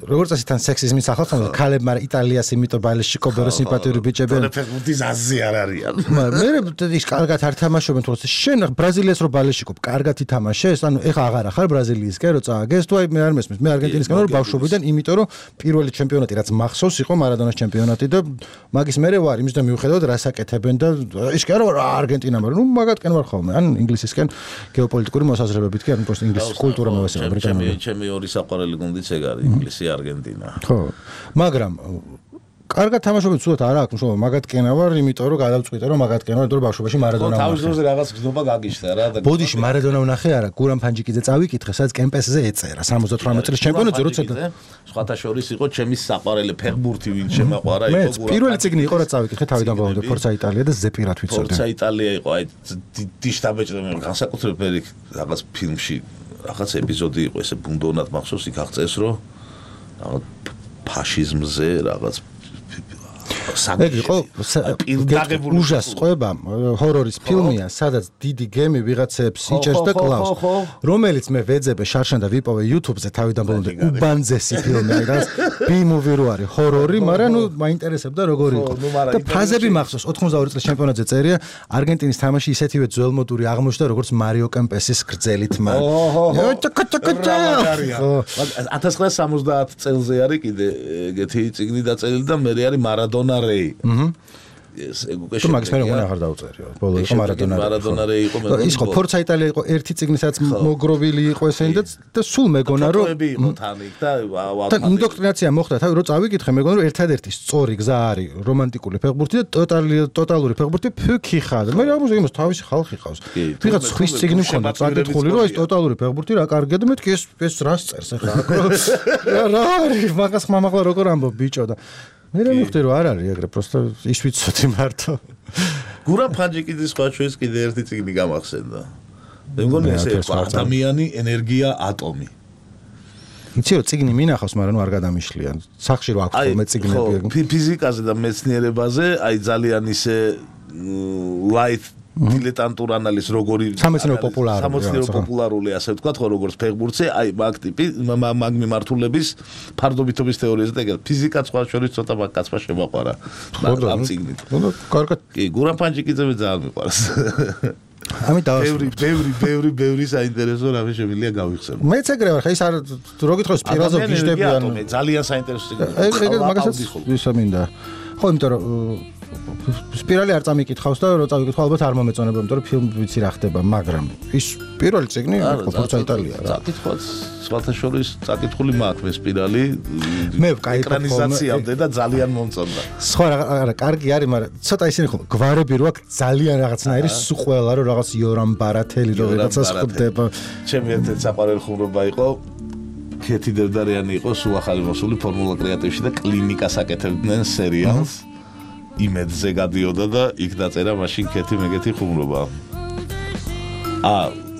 როგორც ასე თან სექსიზმის ახალ ხომ ქალებ, მაგრამ იტალიას იმიტომ ბალეში კობერო სიმპათიური ბიჭები. ფეხბურთის აზი არ არიან. მე ის კარგად არ თამაშობენ თორე შენ ბრაზილიას რო ბალეში კობ კარგად ითამაშეს, ანუ ეხა აღარ ახარ ბრაზილიისკენ რო წააგეს თუ აი მე არ მესმის, მე არგენტინისკენ რო ბავშვობიდან, იმიტომ რომ პირველი ჩემპიონატი რაც მახსოვს იყო მარადონას ჩემპიონატი და მაგის მერე ვარ იმის და მიუხედავად რას აკეთებენ და ის კი არა არგენტინა, მაგრამ ნუ მაგათკენ ვარ ხოლმე, ან ინგლისისკენ გეოპოლიტიკური მოსაზრებებით კი, ან просто ინგლისის კულტურა მოვესწრებ ბრიტანული. ჩემი ორი საყვარელი გუნდიც ეგ არის, ინგლისი, არგენტინა. ხო. მაგრამ კარგად თამაშობენ ცუდად არა აქვს მშობლო მაგათკენა ვარ, იმიტომ რომ გადავწყვიტე რომ მაგათკენა ვარ, იმიტომ რომ ბავშვობაში მარადონა ვარ. თავის დროზე რაღაც გზნობა გაგიშთა რა და ბოდიში მარადონა ვნახე არა, გურამ ფანჯიკიძე წავიკითხე, სადაც კემპესზე ეწერა 78 წლის ჩემპიონატზე როცა სხვათა შორის იყო ჩემი საყვარელი ფეხბურთი ვინ შემაყვარა იყო გურამ. მე პირველი წიგნი იყო რა წავიკითხე თავიდან ბოლომდე ფორცა იტალია და ზეპირად ვიცოდი. ფორცა იტალია იყო აი დიშტაბეჭდა მე განსაკუთრებით რაღაც ფილმში რაღაც ეპიზოდი იყო ესე ბუნდონად მახსოვს იქ აღწეს რომ რაღაც ფაშიზმზე რაღაც ეგ იყო უჟას ყובה ჰორორის ფილმია, სადაც დიდი გემი ვიღაცებს იჭერს და კლავს, რომელიც მე ვეძებე შარშან და ვიპოვე YouTube-ზე თავიდან ბოლომდე უბანძესი ფილმი, აი რაღაც B-movie რო არის ჰორორი, მაგრამ ნუ მაინტერესებდა როგორი იყო. და ფაზები მახსოვს 92 წლის ჩემპიონატზე წერია, არგენტინის თამაში ისეთივე ძველმოდური აღმოჩნდა როგორც მარიო კემპესის გრძელი თმა. 1970 წელზე არის კიდე ეგეთი წიგნი დაწერილი და მე არის მარადონა რეი. ეს ეგ უკვე თუ მაგის მე როგორ აღარ დაუწერიო. ბოლო იყო მარადონა რეი იყო მე. ის ხო ფორცა იტალია იყო ერთი წიგნისაც მოგროვილი იყო ესენი და სულ მეგონა რომ იყო თან იქ და ინდოქტრინაცია მოხდა თავი რო წავიკითხე მეგონა რომ ერთადერთი სწორი გზა არის რომანტიკული ფეხბურთი და ტოტალური ფეხბურთი ფიქი ხარ. მე რა მოსა იმას თავისი ხალხი ყავს. ვიღაც ხვის წიგნი მქონდა წაკითხული რომ ეს ტოტალური ფეხბურთი რა კარგია და მეთქი ეს რას წერს ახლა. რა არის მაგას ხმამაღლა როგორ ამბობ ბიჭო და მე რა მივხვდი რომ არ არის ეგრე просто ის ვიცოდი მარტო. გურამ ფანჯიკიძის ხაჩვის კიდე ერთი წიგნი გამახსენდა. მე მგონი ესე ადამიანი ენერგია ატომი. იცი რომ წიგნი მინახავს, მაგრამ ნუ არ გადამიშლიან. სახში რო აქვს ხოლმე წიგნები. ფიზიკაზე და მეცნიერებაზე აი ძალიან ისე light დილეტანტურ ანალიზ როგორი სამეცნიერო პოპულარული ასე ვთქვათ ხო როგორც ფეხბურთზე აი მაგ ტიპი მაგ მიმართულების ფარდობითობის თეორიაზე და ეგ ფიზიკა სხვა შორის ცოტა მაგკაცმა შემაყვარა ამ წიგნით. კარგად. კი გურამ ფანჯიკიძე ძალიან მიყვარს. ამით დავასრულე. ბევრი საინტერესო რამე შემიძლია გავიხსენო. მეც ეგრე ვარ, ხა ის არ რო გითხოს პირაზე გიждებიან. ძალიან საინტერესო წიგნი. ეგ მაგასაც ვისა მინდა. ხო, იმიტომ რომ სპირალი არ წამიკითხავს და რო წავიკითხო ალბათ არ მომეწონება, იმიტომ რომ ფილმი ვიცი რა ხდება, მაგრამ ის პირველი წიგნი ხო ფორცა იტალია რა. წაკითხოთ სხვათა შორის წაკითხული მაქვს სპირალი. მე კაი ეკრანიზაციამდე და ძალიან მომწონდა. სხვა არა, კარგი არის, მაგრამ ცოტა ისინი ხო გვარები რო აქვს ძალიან რაღაცნაირი სუყველა რო რაღაც იორამ ბარათელი რო რაღაცას ხდება. ჩემი ერთ-ერთი საყვარელი ხუმრობა იყო ქეთი დევდარიანი იყო სულ ახალი მოსული ფორმულა კრეატივში და კლინიკას აკეთებდნენ სერიალს. იმედზე გადიოდა და იქ დაწერა მაშინ ქეთი მეგეთი ხუმრობა.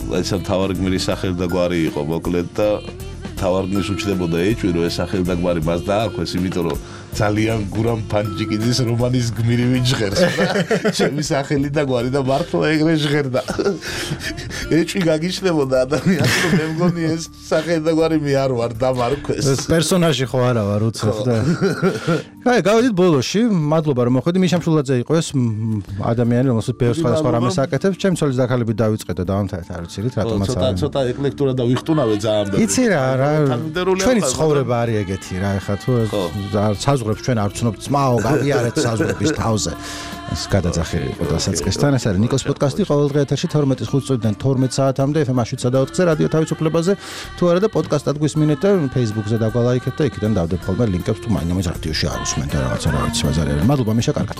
ესა თავარი გმირის სახელი და გვარი იყო მოკლედ და თავარი გმირს უჩნდებოდა ეჭვი რომ ეს სახელი და გვარი მას დაარქვეს, იმიტომ რომ ძალიან გურამ ფანჯიკიძის რომანის გმირი ვიჟღერს და ჩემი სახელი და გვარი და მართლა ეგრე ჟღერდა. ეჭვი გაგიჩნდებოდა ადამიანს რომ მე მგონი ეს სახელი და გვარი მე არ ვარ დამარქვეს. ეს პერსონაჟი ხო არა ვარ უცებ და აი გავედით ბოლოში, მადლობა რომ მოხვედი. მიშა მშულაძე იყო ეს ადამიანი რომელსაც ბევრ სხვადასხვა რამეს აკეთებს. ჩემ ცოლის დაქალებით დავიწყეთ და დავამთავრეთ არ ვიცით რატომაც არ. ცოტა ეკლექტურა და ვიხტუნავე ძალიან ბევრი. იცი რა ჩვენი ცხოვრება არის ეგეთი რა ეხლა თუ საზღვრებს ჩვენ არ ვცნობთ ძმაო გავიარეთ საზღვრების თავზე. ეს გადაძახილი იყო დასაწყისთან. ეს არის ნიკოს პოდკასტი ყოველდღე ეთერში 12:05 წუთიდან 12 საათამდე FM-7.4-ზე რადიო თავისუფლებაზე. თუ არა და პოდკასტად გვისმინეთ და Facebook-ზე დაგვალაიქეთ და იქიდან დავდებ ხოლმე ლინკებს თუ მაინც რადიოში არ უსმენთ რაღაცა რა ვიცი მაზარია. მადლობა მიშა კარგად.